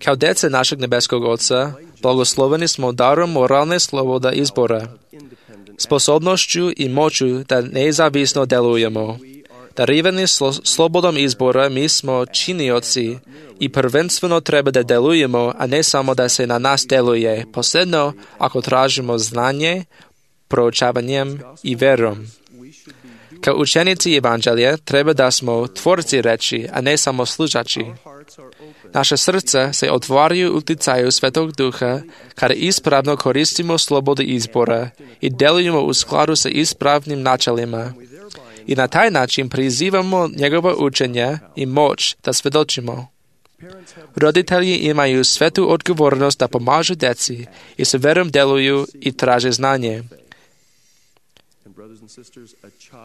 Kao djeca našeg nebeskog Oca, blagosloveni smo darom moralne sloboda izbora, sposobnošću i moću da nezavisno delujemo. Darivani slo- slobodom izbora mi smo činioci i prvenstveno treba da delujemo, a ne samo da se na nas deluje, posebno ako tražimo znanje, proučavanjem i verom. Kao učenici evanđelja treba da smo tvorci reči, a ne samo slušači. Naše srca se otvaraju uticaju Svetog Duha kada ispravno koristimo slobodu izbora i delujemo u skladu sa ispravnim načelima. I na taj način prizivamo njegova učenja i moć da svjedočimo. Roditelji imaju svetu odgovornost da pomažu djeci i sa verom deluju i traže znanje.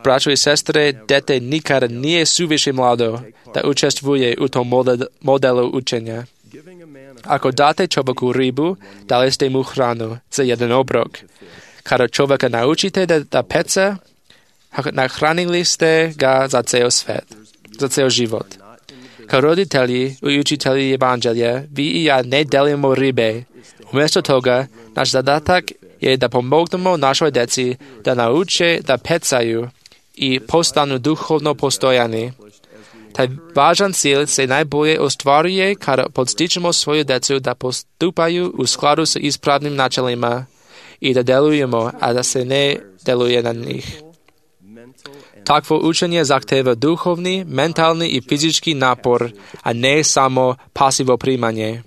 Braćo i sestre, dete nikada nije suviše mlado da učestvuje u tom modelu učenja. Ako date čovjeku ribu, dali ste mu hranu za jedan obrok. Kada čovjeka naučite da, da peca, nahranili ste ga za ceo svet, za ceo život. Kao roditelji i učitelji evanđelja, vi i ja ne delimo ribe. Umjesto toga, naš zadatak je da pomognemo našoj deci da nauče da pecaju i postanu duhovno postojani. Taj važan cilj se najbolje ostvaruje kada podstičemo svoju decu da postupaju u skladu s ispravnim načelima i da delujemo, a da se ne deluje na njih. Takvo učenje zahteva duhovni, mentalni i fizički napor, a ne samo pasivo primanje.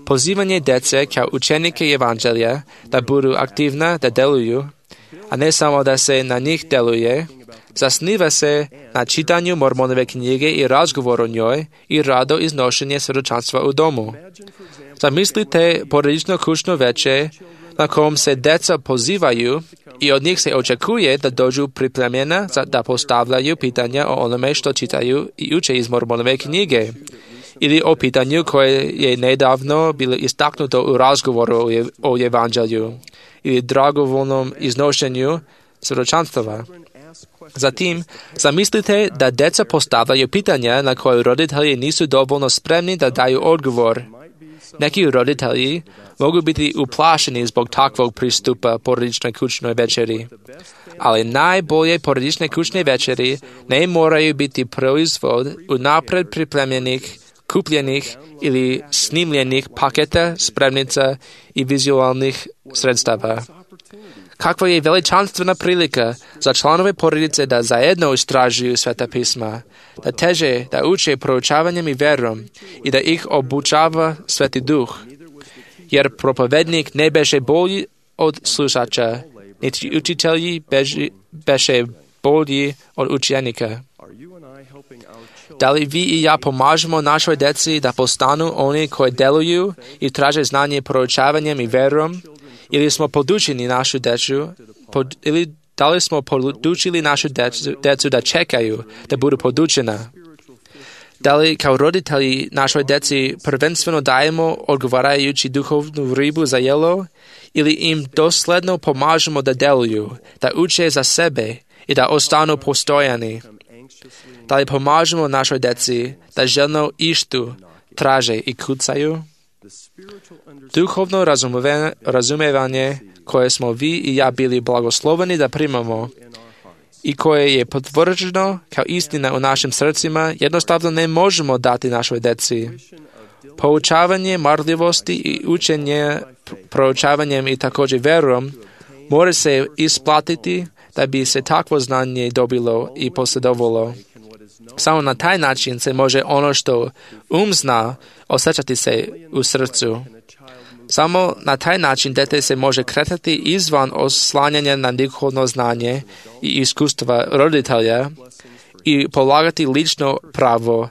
Pozivanje dece kao učenike evanđelja da budu aktivna, da deluju, a ne samo da se na njih deluje, zasniva se na čitanju Mormonove knjige i razgovoru o njoj i rado iznošenje svjedočanstva u domu. Zamislite porodično kućno veče na kom se deca pozivaju i od njih se očekuje da dođu pripremljena da postavljaju pitanja o onome što čitaju i uče iz Mormonove knjige, ili o pitanju koje je nedavno bilo istaknuto u razgovoru o evanđelju, ili dragovoljnom iznošenju svjedočanstava. Zatim, zamislite da deca postavljaju pitanja na koje roditelji nisu dovoljno spremni da daju odgovor. Neki roditelji mogu biti uplašeni zbog takvog pristupa porodičnoj kućnoj večeri. Ali najbolje porodične kućne večeri ne moraju biti proizvod unapred pripremljenih, kupljenih ili snimljenih paketa, spremnica i vizualnih sredstava. Kakva je veličanstvena prilika za članove porodice da zajedno istražuju Sveta pisma, da teže da uče proučavanjem i verom i da ih obučava Sveti Duh, jer propovednik ne beše bolji od slušača, niti učitelji beže, beše bolji od učenika. Da li vi i ja pomažemo našoj deci da postanu oni koji deluju i traže znanje proučavanjem i verom, ili smo podučili našu decu, pod, ili da li smo podučili našu decu, decu da čekaju, da budu podučena? Da li kao roditelji našoj deci prvenstveno dajemo odgovarajući duhovnu ribu za jelo, ili im dosledno pomažemo da deluju, da uče za sebe i da ostanu postojani? Da li pomažemo našoj deci da željno ištu, traže i kucaju? Duhovno razumevanje koje smo vi i ja bili blagosloveni da primamo i koje je potvrđeno kao istina u našim srcima, jednostavno ne možemo dati našoj deci. Poučavanje marljivosti i učenje proučavanjem i također verom mora se isplatiti da bi se takvo znanje dobilo i posjedovalo. Samo na taj način se može ono što um zna osjećati se u srcu. Samo na taj način dete se može kretati izvan oslanjanja na duhovno znanje i iskustva roditelja i polagati lično pravo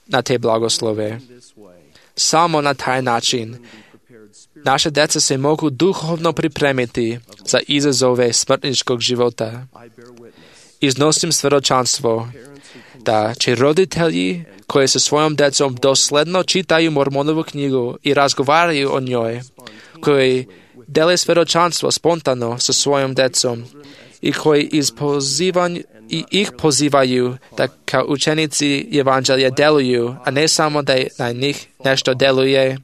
na te blagoslove. Samo na taj način naše deca se mogu duhovno pripremiti za izazove smrtničkog života. Iznosim svjedočanstvo da će roditelji koji sa svojom decom dosledno čitaju Mormonovu knjigu i razgovaraju o njoj, koji dele svjedočanstvo spontano sa svojom decom i koji iz pozivanja i ih pozivaju da kao učenici evanđelja deluju, a ne samo da na njih nešto deluje,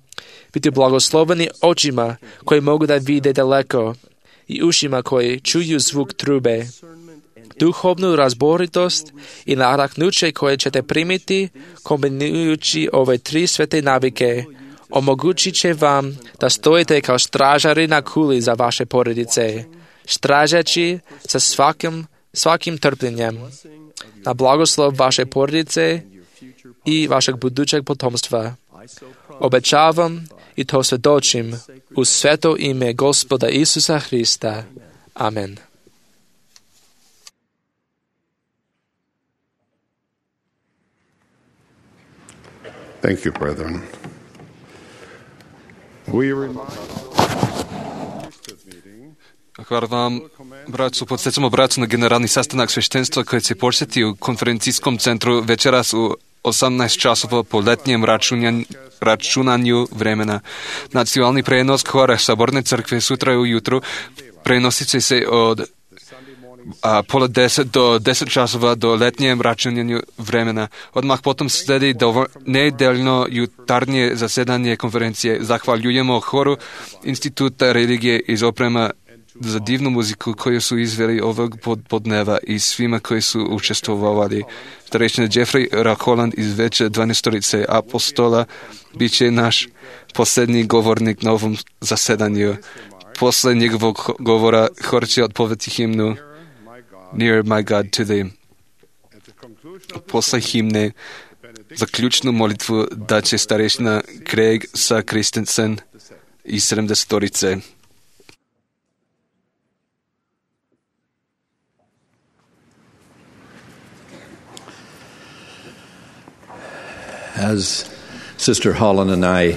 biti blagosloveni očima koji mogu da vide daleko i ušima koji čuju zvuk trube. Duhovnu razboritost i nadahnuće koje ćete primiti kombinujući ove tri svete navike omogućit će vam da stojite kao stražari na kuli za vaše porodice, stražeći sa svakim, svakim trpljenjem na blagoslov vaše porodice i vašeg budućeg potomstva. Obećavam i to svjedočim u sveto ime Gospoda Isusa Hrista. Amen. Thank you, brethren. We remind Hvala vam, bracu, podsjećamo bracu na generalni sastanak sveštenstva koji će početi u konferencijskom centru večeras u osamnaest časova po letnjem računanju vremena. Nacionalni prenos hora Saborne crkve sutra ujutru prenosit će se od a, pola deset do deset časova do letnjem računanju vremena. Odmah potom sledi dovo, nedeljno jutarnje zasedanje konferencije. Zahvaljujemo horu Instituta religije iz oprema za divnu muziku koju su izveli ovog podneva i svima koji su učestvovali. Starešina Jeffrey Raholand iz Veće dvanaestorice apostola bit će naš posljednji govornik na ovom zasedanju. Posle njegovog govora hor će odpovedati himnu Near my God to thee. Posle himne zaključnu molitvu da će starešina Craig sa Christensen iz sedamdesetorice. As Sister Holland and I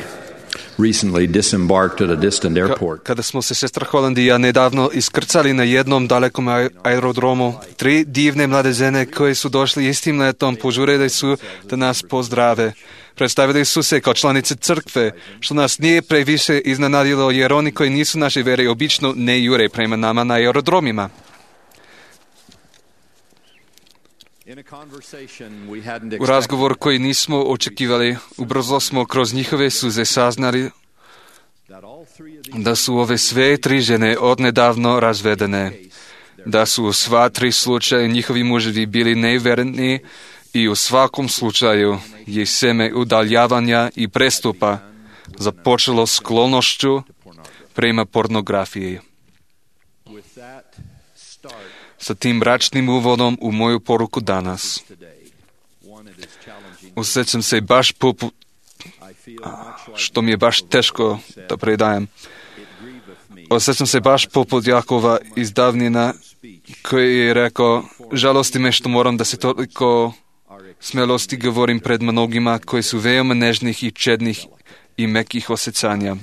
recently disembarked at a distant airport. Kada smo se sestra Holland i ja nedavno iskrcali na jednom dalekom aerodromu, tri divne mlade žene koje su došli istim letom požurili su da nas pozdrave. Predstavili su se kao članice crkve, što nas nije previše iznenadilo jer oni koji nisu naše vere obično ne jure prema nama na aerodromima. U razgovor koji nismo očekivali, ubrzo smo kroz njihove suze saznali da su ove sve tri žene odnedavno razvedene, da su u sva tri slučaja njihovi muževi bili nevjerni i u svakom slučaju je seme udaljavanja i prestupa započelo sklonošću prema pornografiji. Sa tim mračnim uvodom u moju poruku danas osjećam se baš poput, što mi je baš teško da predajem. Osjećam se baš poput Jakova iz davnina koji je rekao, žalosti me što moram da se toliko smelosti govorim pred mnogima koji su veoma nežnih i čednih i mekih osjećanja.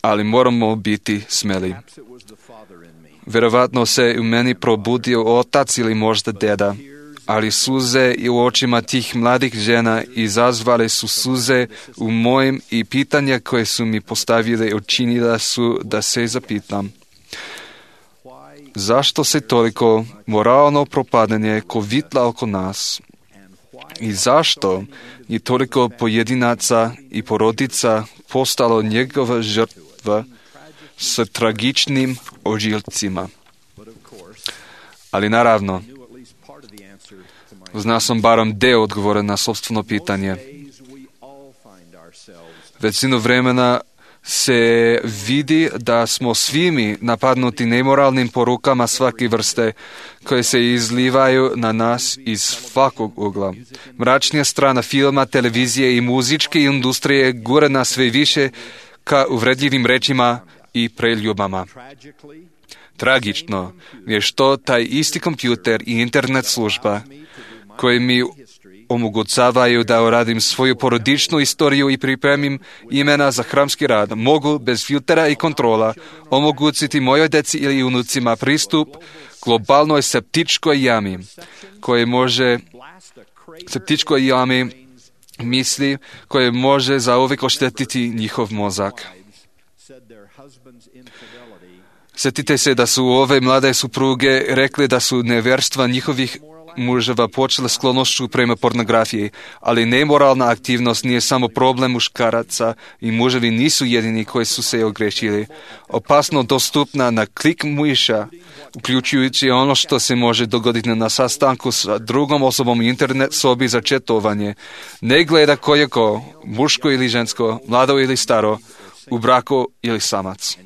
Ali moramo biti smeli. Vjerovatno se u meni probudio otac ili možda deda, ali suze i u očima tih mladih žena izazvale su suze u mojim i pitanja koje su mi postavile učinila su da se zapitam. Zašto se toliko moralno propadanje kovitla oko nas? I zašto je toliko pojedinaca i porodica postalo njegova žrtva sa tragičnim ožiljcima? Ali naravno, znao sam barem deo odgovora na sopstveno pitanje. Većinu vremena se vidi da smo svimi napadnuti nemoralnim porukama svake vrste koje se izlivaju na nas iz svakog ugla. Mračnija strana filma, televizije i muzičke industrije gura nas sve više ka uvredljivim rečima i preljubama. Tragično je što taj isti kompjuter i internet služba koji mi omogućavaju da uradim svoju porodičnu istoriju i pripremim imena za hramski rad, mogu bez filtera i kontrola omogućiti mojoj deci ili unucima pristup globalnoj septičkoj jami, koje može septičkoj jami misli koje može zauvijek oštetiti njihov mozak. Sjetite se da su ove mlade supruge rekli da su nevjerstva njihovih muževa počela sklonošću prema pornografiji, ali nemoralna aktivnost nije samo problem muškaraca i muževi nisu jedini koji su se ogrešili. Opasno dostupna na klik miša, uključujući ono što se može dogoditi na sastanku sa drugom osobom u internet sobi za četovanje. Ne gleda ko je ko, muško ili žensko, mlado ili staro, u braku ili samac.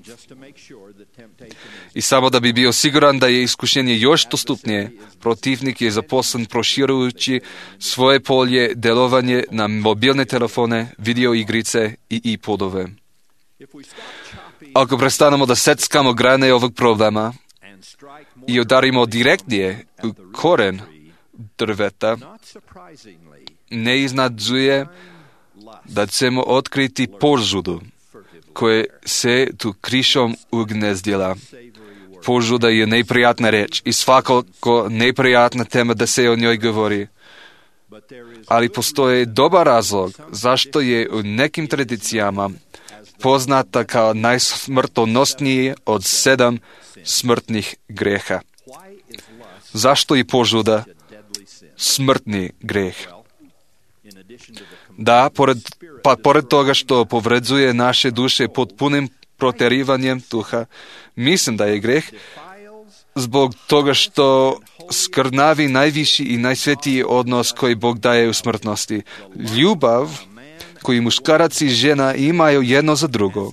I samo da bi bio siguran da je iskušenje još dostupnije, protivnik je zaposlen proširujući svoje polje delovanje na mobilne telefone, video igrice i iPodove. Ako prestanemo da seckamo grane ovog problema i udarimo direktnije u koren drveta, ne iznadzuje da ćemo otkriti požudu, koje se tu krišom ugnezdila. Požuda je neprijatna reč i svakako neprijatna tema da se o njoj govori. Ali postoji dobar razlog zašto je u nekim tradicijama poznata kao najsmrtonosniji od sedam smrtnih greha. Zašto je požuda smrtni greh? Da, pored, pa pored toga što povređuje naše duše potpunim proterivanjem duha, mislim da je greh zbog toga što skrnavi najviši i najsvetiji odnos koji Bog daje u smrtnosti. Ljubav koju muškarac i žena imaju jedno za drugo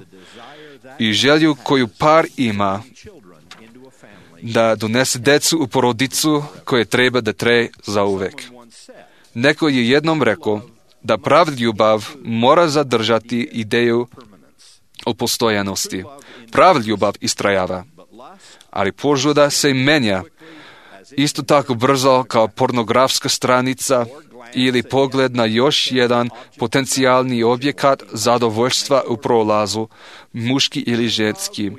i želju koju par ima da donese decu u porodicu koje treba da traje zauvek. Neko je jednom rekao da prav ljubav mora zadržati ideju o postojanosti. Prav ljubav istrajava, ali požuda se menja isto tako brzo kao pornografska stranica ili pogled na još jedan potencijalni objekat zadovoljstva u prolazu, muški ili ženski.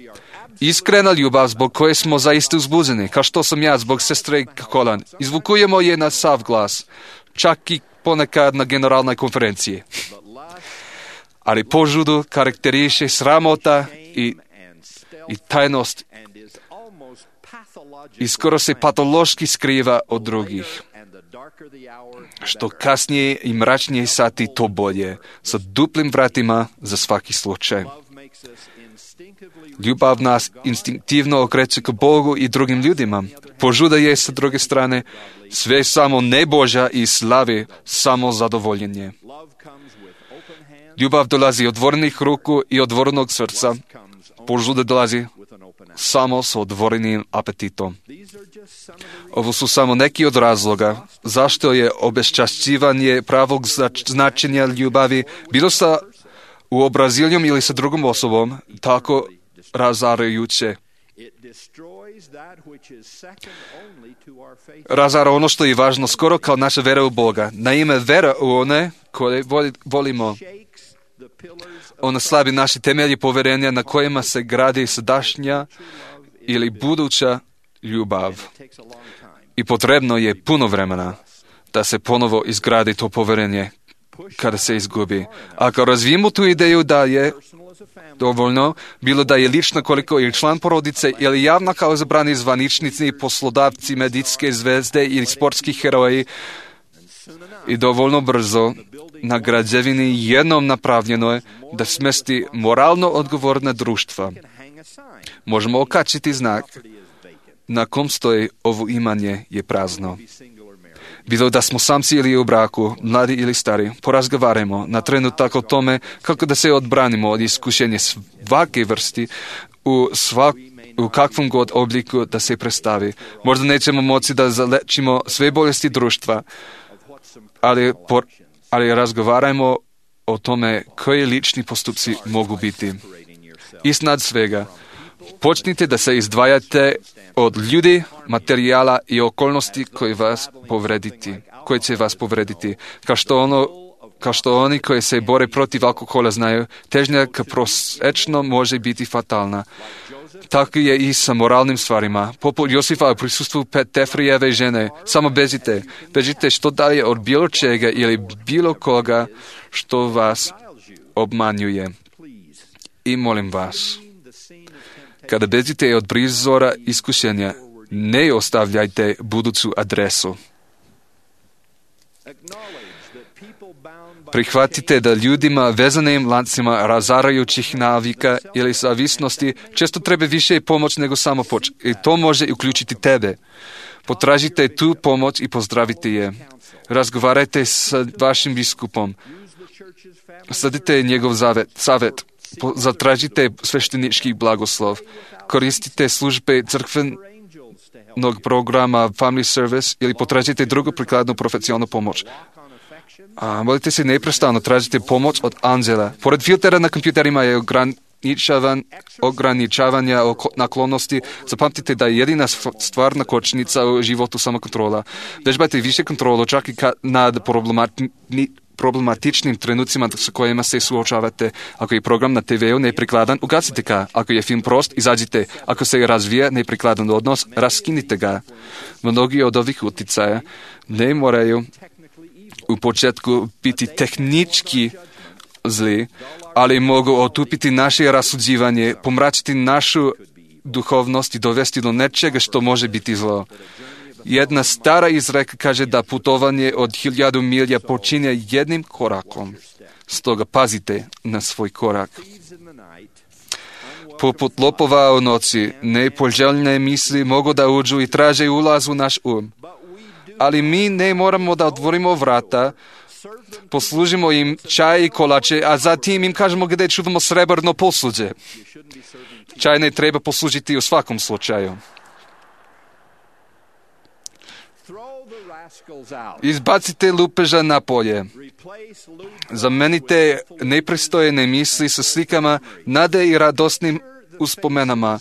Iskrena ljubav zbog koje smo zaista uzbuđeni, kao što sam ja zbog sestre Kolan. Izvukujemo je na sav glas, čak i ponekad na generalnoj konferenciji. Ali požudu karakteriše sramota i, i tajnost i skoro se patološki skriva od drugih. Što kasnije i mračnije sati, to bolje, sa duplim vratima za svaki slučaj. Ljubav nas instinktivno okreće k Bogu i drugim ljudima. Požuda je, sa druge strane, sve samo ne Božja i slavi samo zadovoljenje. Ljubav dolazi od otvorenih ruku i otvorenog srca. Požuda dolazi samo s otvorenim apetitom. Ovo su samo neki od razloga zašto je obeščašćivanje pravog značenja ljubavi bilo sa uobraziljom ili sa drugom osobom tako razarajuće. Razara ono što je važno skoro kao naša vera u Boga. Naime, vera u one koje volimo. Ona slabi naše temelje poverenja na kojima se gradi sadašnja ili buduća ljubav. I potrebno je puno vremena da se ponovo izgradi to poverenje kada se izgubi. Ako razvijemo tu ideju da je dovoljno, bilo da je lična koliko ili član porodice ili javna kao izabrani zvaničnici, poslodavci, medicinske zvezde ili sportski heroji, i dovoljno brzo na građevini jednom napravljeno je da smesti moralno odgovorna društva. Možemo okačiti znak na kom stoji ovo imanje je prazno. Bilo da smo samci ili u braku, mladi ili stari, porazgovarajmo na trenutak o tome kako da se odbranimo od iskušenja svake vrsti u, svak, u kakvom god obliku da se predstavi. Možda nećemo moći da zalečimo sve bolesti društva, ali, por, ali razgovarajmo o tome koji lični postupci mogu biti. Iznad svega, počnite da se izdvajate od ljudi, materijala i okolnosti koji vas povrediti, koji će vas povrediti. Kao što, ono, kao što oni koji se bore protiv alkohola znaju, težnja k prosečno može biti fatalna. Tako je i sa moralnim stvarima. Poput Josifa u prisustvu Tefrijeve žene. Samo bežite. Bežite što dalje od bilo čega ili bilo koga što vas obmanjuje. I molim vas, kada bežite od prizora iskušenja, ne ostavljajte buduću adresu. Prihvatite da ljudima vezanim lancima razarajućih navika ili zavisnosti često treba više pomoć nego samo pomoć. I to može uključiti tebe. Potražite tu pomoć i pozdravite je. Razgovarajte sa vašim biskupom. Sadite njegov zavet. savjet. Zatražite sveštenički blagoslov. Koristite službe crkvenog programa Family Service ili potražite drugu prikladnu profesionalnu pomoć. A, molite se neprestano, tražite pomoć od anđela. Pored filtera na kompjuterima je ograničavan, ograničavanja naklonosti. Zapamtite da je jedina stvarna kočnica u životu samokontrola. Vežbajte više kontrolu, čak i nad problematičnim trenucima s kojima se suočavate. Ako je program na te veu neprikladan, ugasite ga. Ako je film prost, izađite. Ako se razvija neprikladan odnos, raskinite ga. Mnogi od ovih uticaja ne moraju u početku biti tehnički zli, ali mogu otupiti naše rasuđivanje, pomračiti našu duhovnost i dovesti do nečega što može biti zlo. Jedna stara izreka kaže da putovanje od hiljadu milja počinje jednim korakom. Stoga pazite na svoj korak. Poput lopova u noći, nepoželjne misli mogu da uđu i traže ulaz u naš um. Ali mi ne moramo da otvorimo vrata, poslužimo im čaj i kolače, a zatim im kažemo gdje čuvamo srebrno posuđe. Čaj ne treba poslužiti u svakom slučaju. Izbacite lupeža na polje. Zamenite nepristojne misli sa slikama nade i radosnim uspomenama,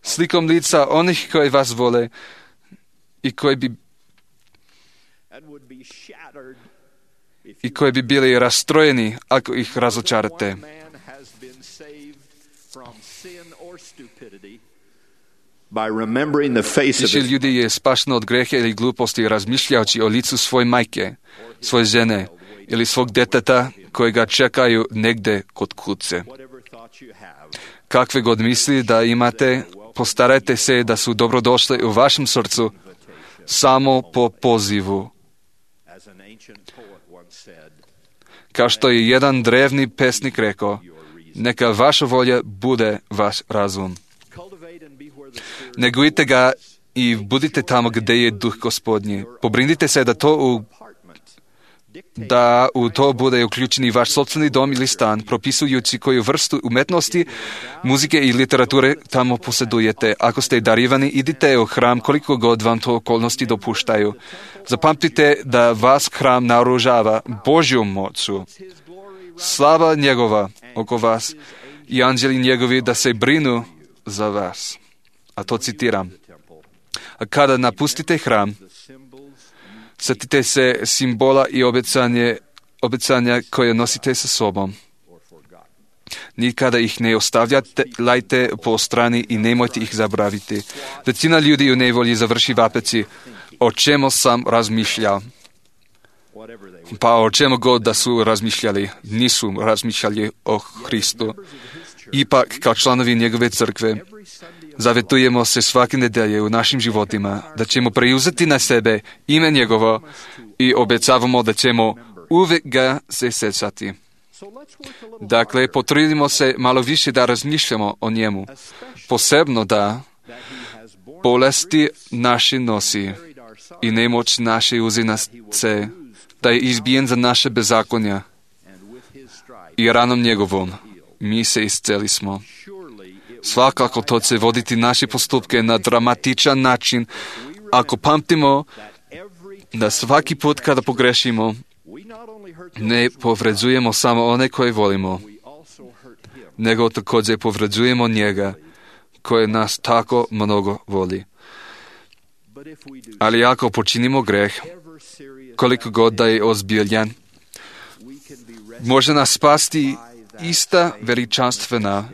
slikom lica onih koji vas vole i koji bi i koji bi bili rastrojeni ako ih razočarate. Više ljudi je spašeno od greha ili gluposti razmišljajući o licu svoje majke, svoje žene ili svog deteta koji ga čekaju negde kod kuće. Kakve god misli da imate, postarajte se da su dobrodošle u vašem srcu samo po pozivu. Kao što je jedan drevni pesnik rekao, neka vaša volja bude vaš razum. Negujte ga i budite tamo gdje je duh Gospodnji. Pobrinite se da to u, da u to bude uključeni vaš sopstveni dom ili stan, propisujući koju vrstu umetnosti, muzike i literature tamo posjedujete. Ako ste darivani, idite u hram koliko god vam to okolnosti dopuštaju. Zapamtite da vas hram naoružava Božjom moću. Slava njegova oko vas i anđeli njegovi da se brinu za vas. A to citiram. A kada napustite hram, sjetite se simbola i obećanje, obećanja koje nosite sa sobom. Nikada ih ne ostavljate, lajte po strani i nemojte ih zaboraviti. Većina ljudi u nevolji završi vapeći, o čemu sam razmišljao. Pa o čemu god da su razmišljali, nisu razmišljali o Hristu. Ipak, kao članovi njegove crkve, zavetujemo se svake nedelje u našim životima da ćemo preuzeti na sebe ime njegovo i obećavamo da ćemo uvijek ga se sjećati. Dakle, potrudimo se malo više da razmišljamo o njemu, posebno da bolesti naše nosi i nemoć naše uzi nas se, da je izbijen za naše bezakonja i ranom njegovom mi se isceli smo. Svakako to će voditi naše postupke na dramatičan način ako pamtimo da svaki put kada pogrešimo ne povređujemo samo one koje volimo, nego također povređujemo njega koji nas tako mnogo voli. Ali ako počinimo greh, koliko god da je ozbiljan, može nas spasti ista veličanstvena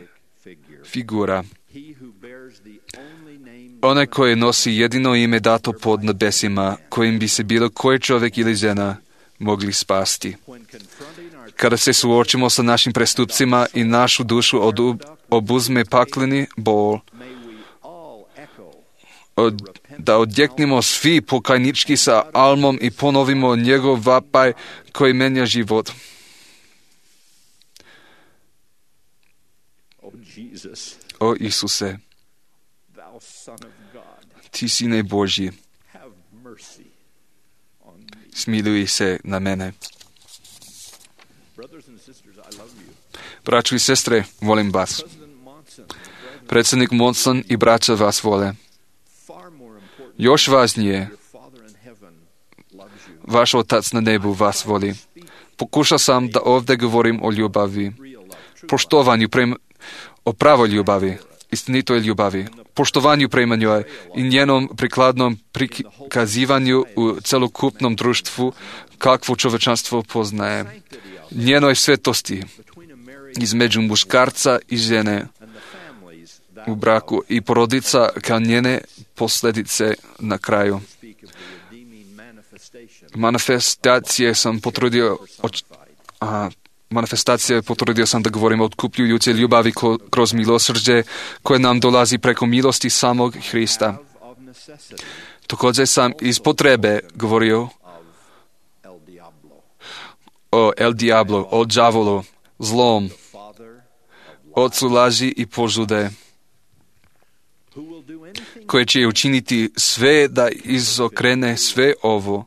figura. Onaj koji nosi jedino ime dato pod nebesima, kojim bi se bilo koji čovjek ili žena mogli spasti. Kada se suočimo sa našim prestupcima i našu dušu od, obuzme pakleni bol, od, da odjeknemo svi pokajnički sa almom i ponovimo njegov vapaj koji menja život. O Isuse, ti sine Božji, smiluj se na mene. Braćo i sestre, volim vas. Predsjednik Monson i braća vas vole. Još važnije, vaš Otac na nebu vas voli. Pokušao sam da ovdje govorim o ljubavi, poštovanju, prema, o pravoj ljubavi. istinitoj ljubavi, poštovanju prema njoj i njenom prikladnom prikazivanju u celokupnom društvu kakvo čovečanstvo poznaje. Njenoj svetosti između muškarca i žene u braku i porodica kao njene posljedice na kraju. Manifestacije sam potrudio a, manifestacije potrudio sam da govorim o otkupljujuće ljubavi ko, kroz milosrđe koje nam dolazi preko milosti samog Hrista. Također sam iz potrebe govorio o El Diablo, o đavolu, zlom, ocu laži i požude, koje će učiniti sve da izokrene sve ovo,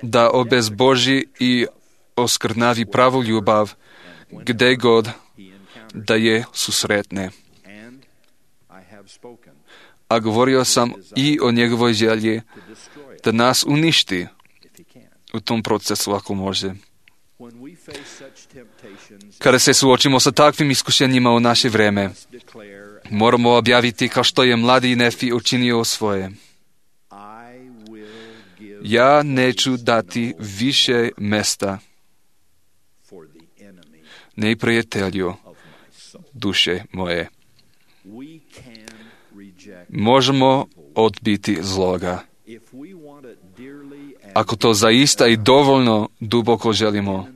da obezboži i oskrnavi pravu ljubav, gde god da je susretne. A govorio sam i o njegovoj želji da nas uništi u tom procesu ako može. Kada se suočimo sa takvim iskušenjima u naše vreme, moramo objaviti kao što je mladi Nefi učinio svoje. Ja neću dati više mesta neprijatelju duše moje. Možemo odbiti zloga. Ako to zaista i dovoljno duboko želimo,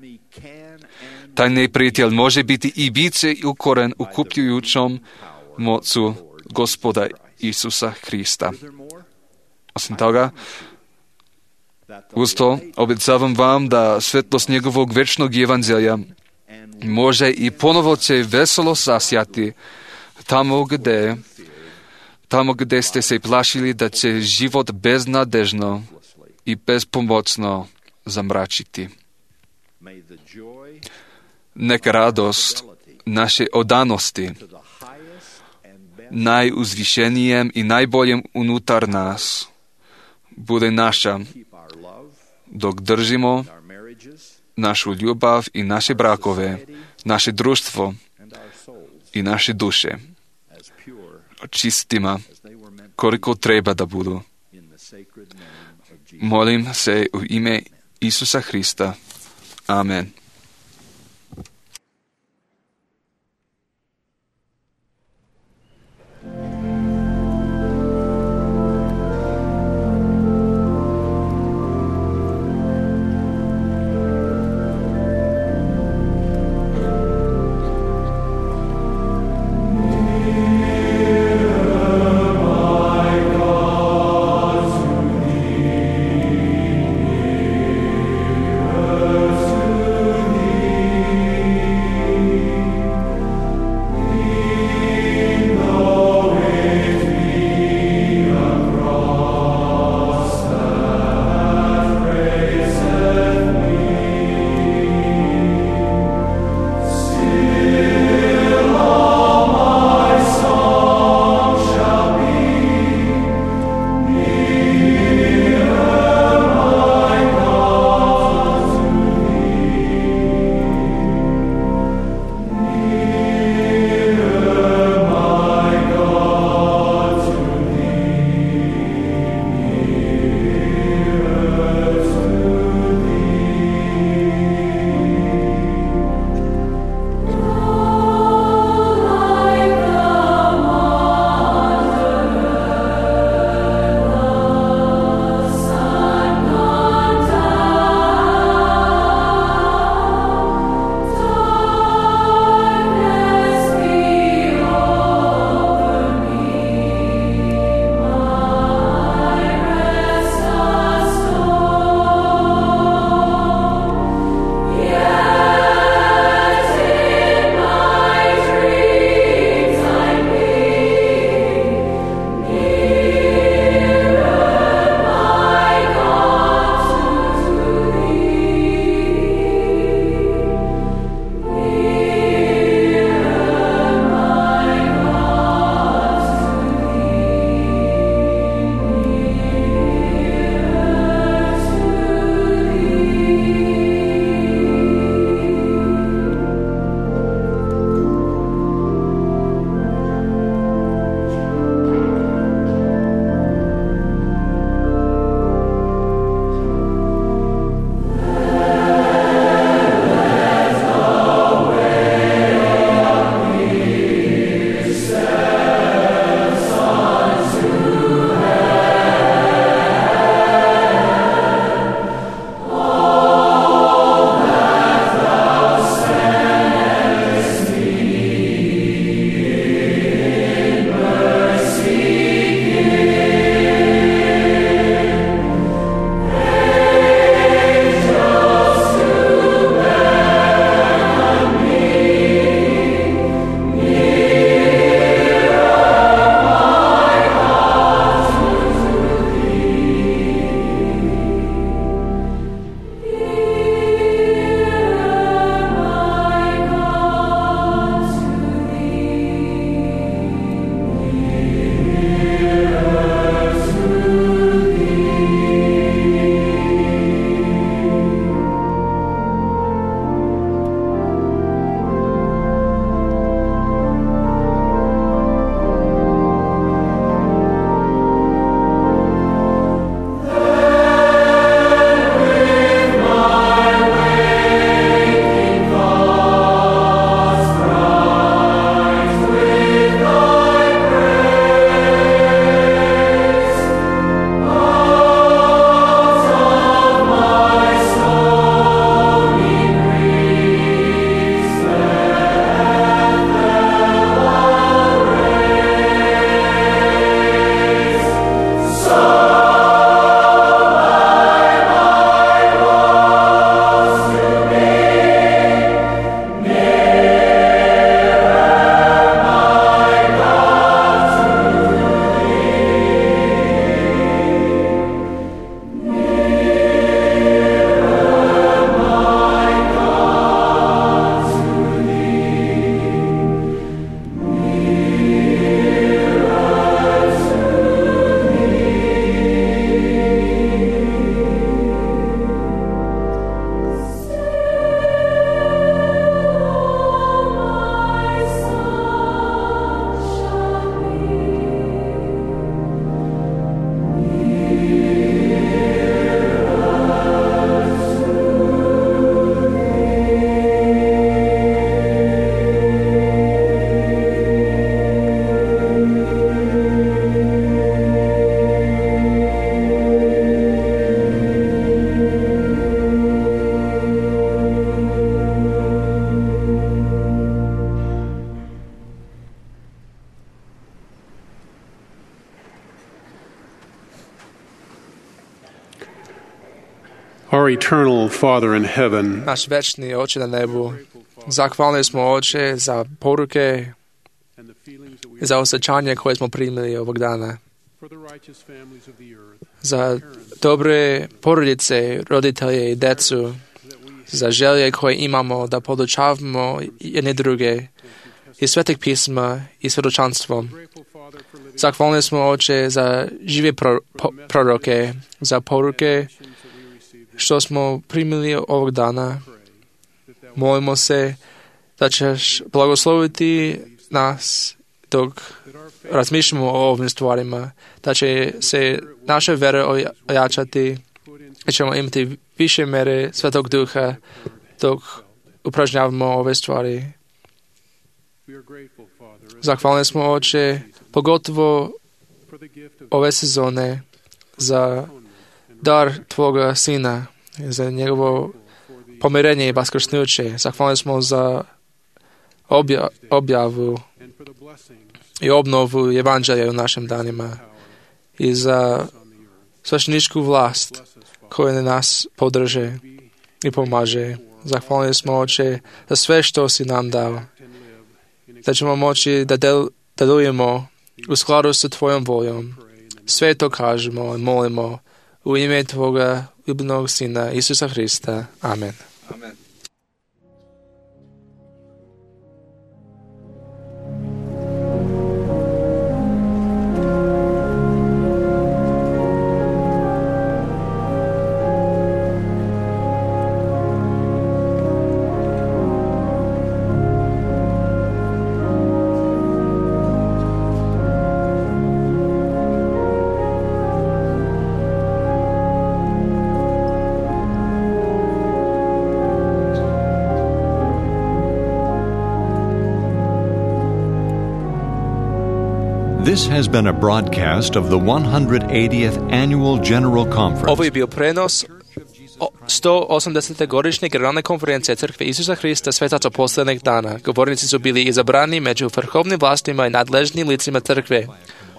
taj neprijatelj može biti i biće ukoren u kupljujućom mocu Gospoda Isusa Hrista. Osim toga, uz to obećavam vam da svetlost njegovog večnog evanđelja može i ponovo će veselo zasjati tamo gde, tamo gde ste se plašili da će život beznadežno i bezpomoćno zamračiti. Neka radost naše odanosti najuzvišenijem i najboljem unutar nas bude naša, dok držimo našu ljubav i naše brakove, naše društvo i naše duše čistima koliko treba da budu. Molim se u ime Isusa Hrista. Amen. To Our eternal Father in heaven, Naš večni Oče na nebu, zahvalni smo Oče za poruke i za osjećanje koje smo primili ovog dana, za dobre porodice, roditelje i decu, za želje koje imamo da podučavamo jedne druge i svetih pisma i svjedočanstvom. Zahvalni smo Oče za žive pro, po, proroke, za poruke što smo primili ovog dana. Molimo se da ćeš blagosloviti nas dok razmišljamo o ovim stvarima, da će se naše vere ojačati i ćemo imati više mere Svetog Duha dok upražnjavamo ove stvari. Zahvalni smo Oče, pogotovo ove sezone za dar Tvoga Sina, za njegovo pomirenje i vaskrsnuće. Zahvalni smo za obja, objavu i obnovu evanđelja u našim danima i za svešteničku vlast koja nas podrže i pomaže. Zahvalni smo Oče za sve što si nam dao, da ćemo moći da del, delujemo u skladu sa Tvojom voljom. Sve to kažemo i molimo u ime Tvoga ljubljenog Sina Isusa Hrista. Amen. Amen. This has been a broadcast of the one hundred eightieth Annual General Conference. Ovo je bio prenos sto osamdesete godišnje generalne konferencije Crkve Isusa Hrista Svetaca posljednjeg dana. Govornici su bili izabrani među vrhovnim vlastima i nadležnim licima Crkve.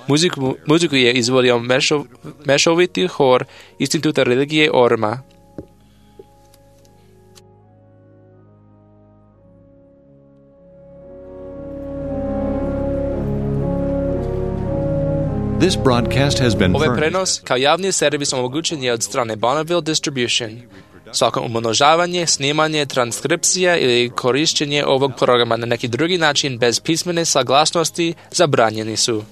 Muziku, muziku je izvodio mešov, mešoviti hor Instituta religije Orma. This broadcast has been Ovaj furnished. prenos kao javni servis omogućen je od strane Bonneville Distribution. Svako umnožavanje, snimanje, transkripcija ili korišćenje ovog programa na neki drugi način bez pismene saglasnosti zabranjeni su.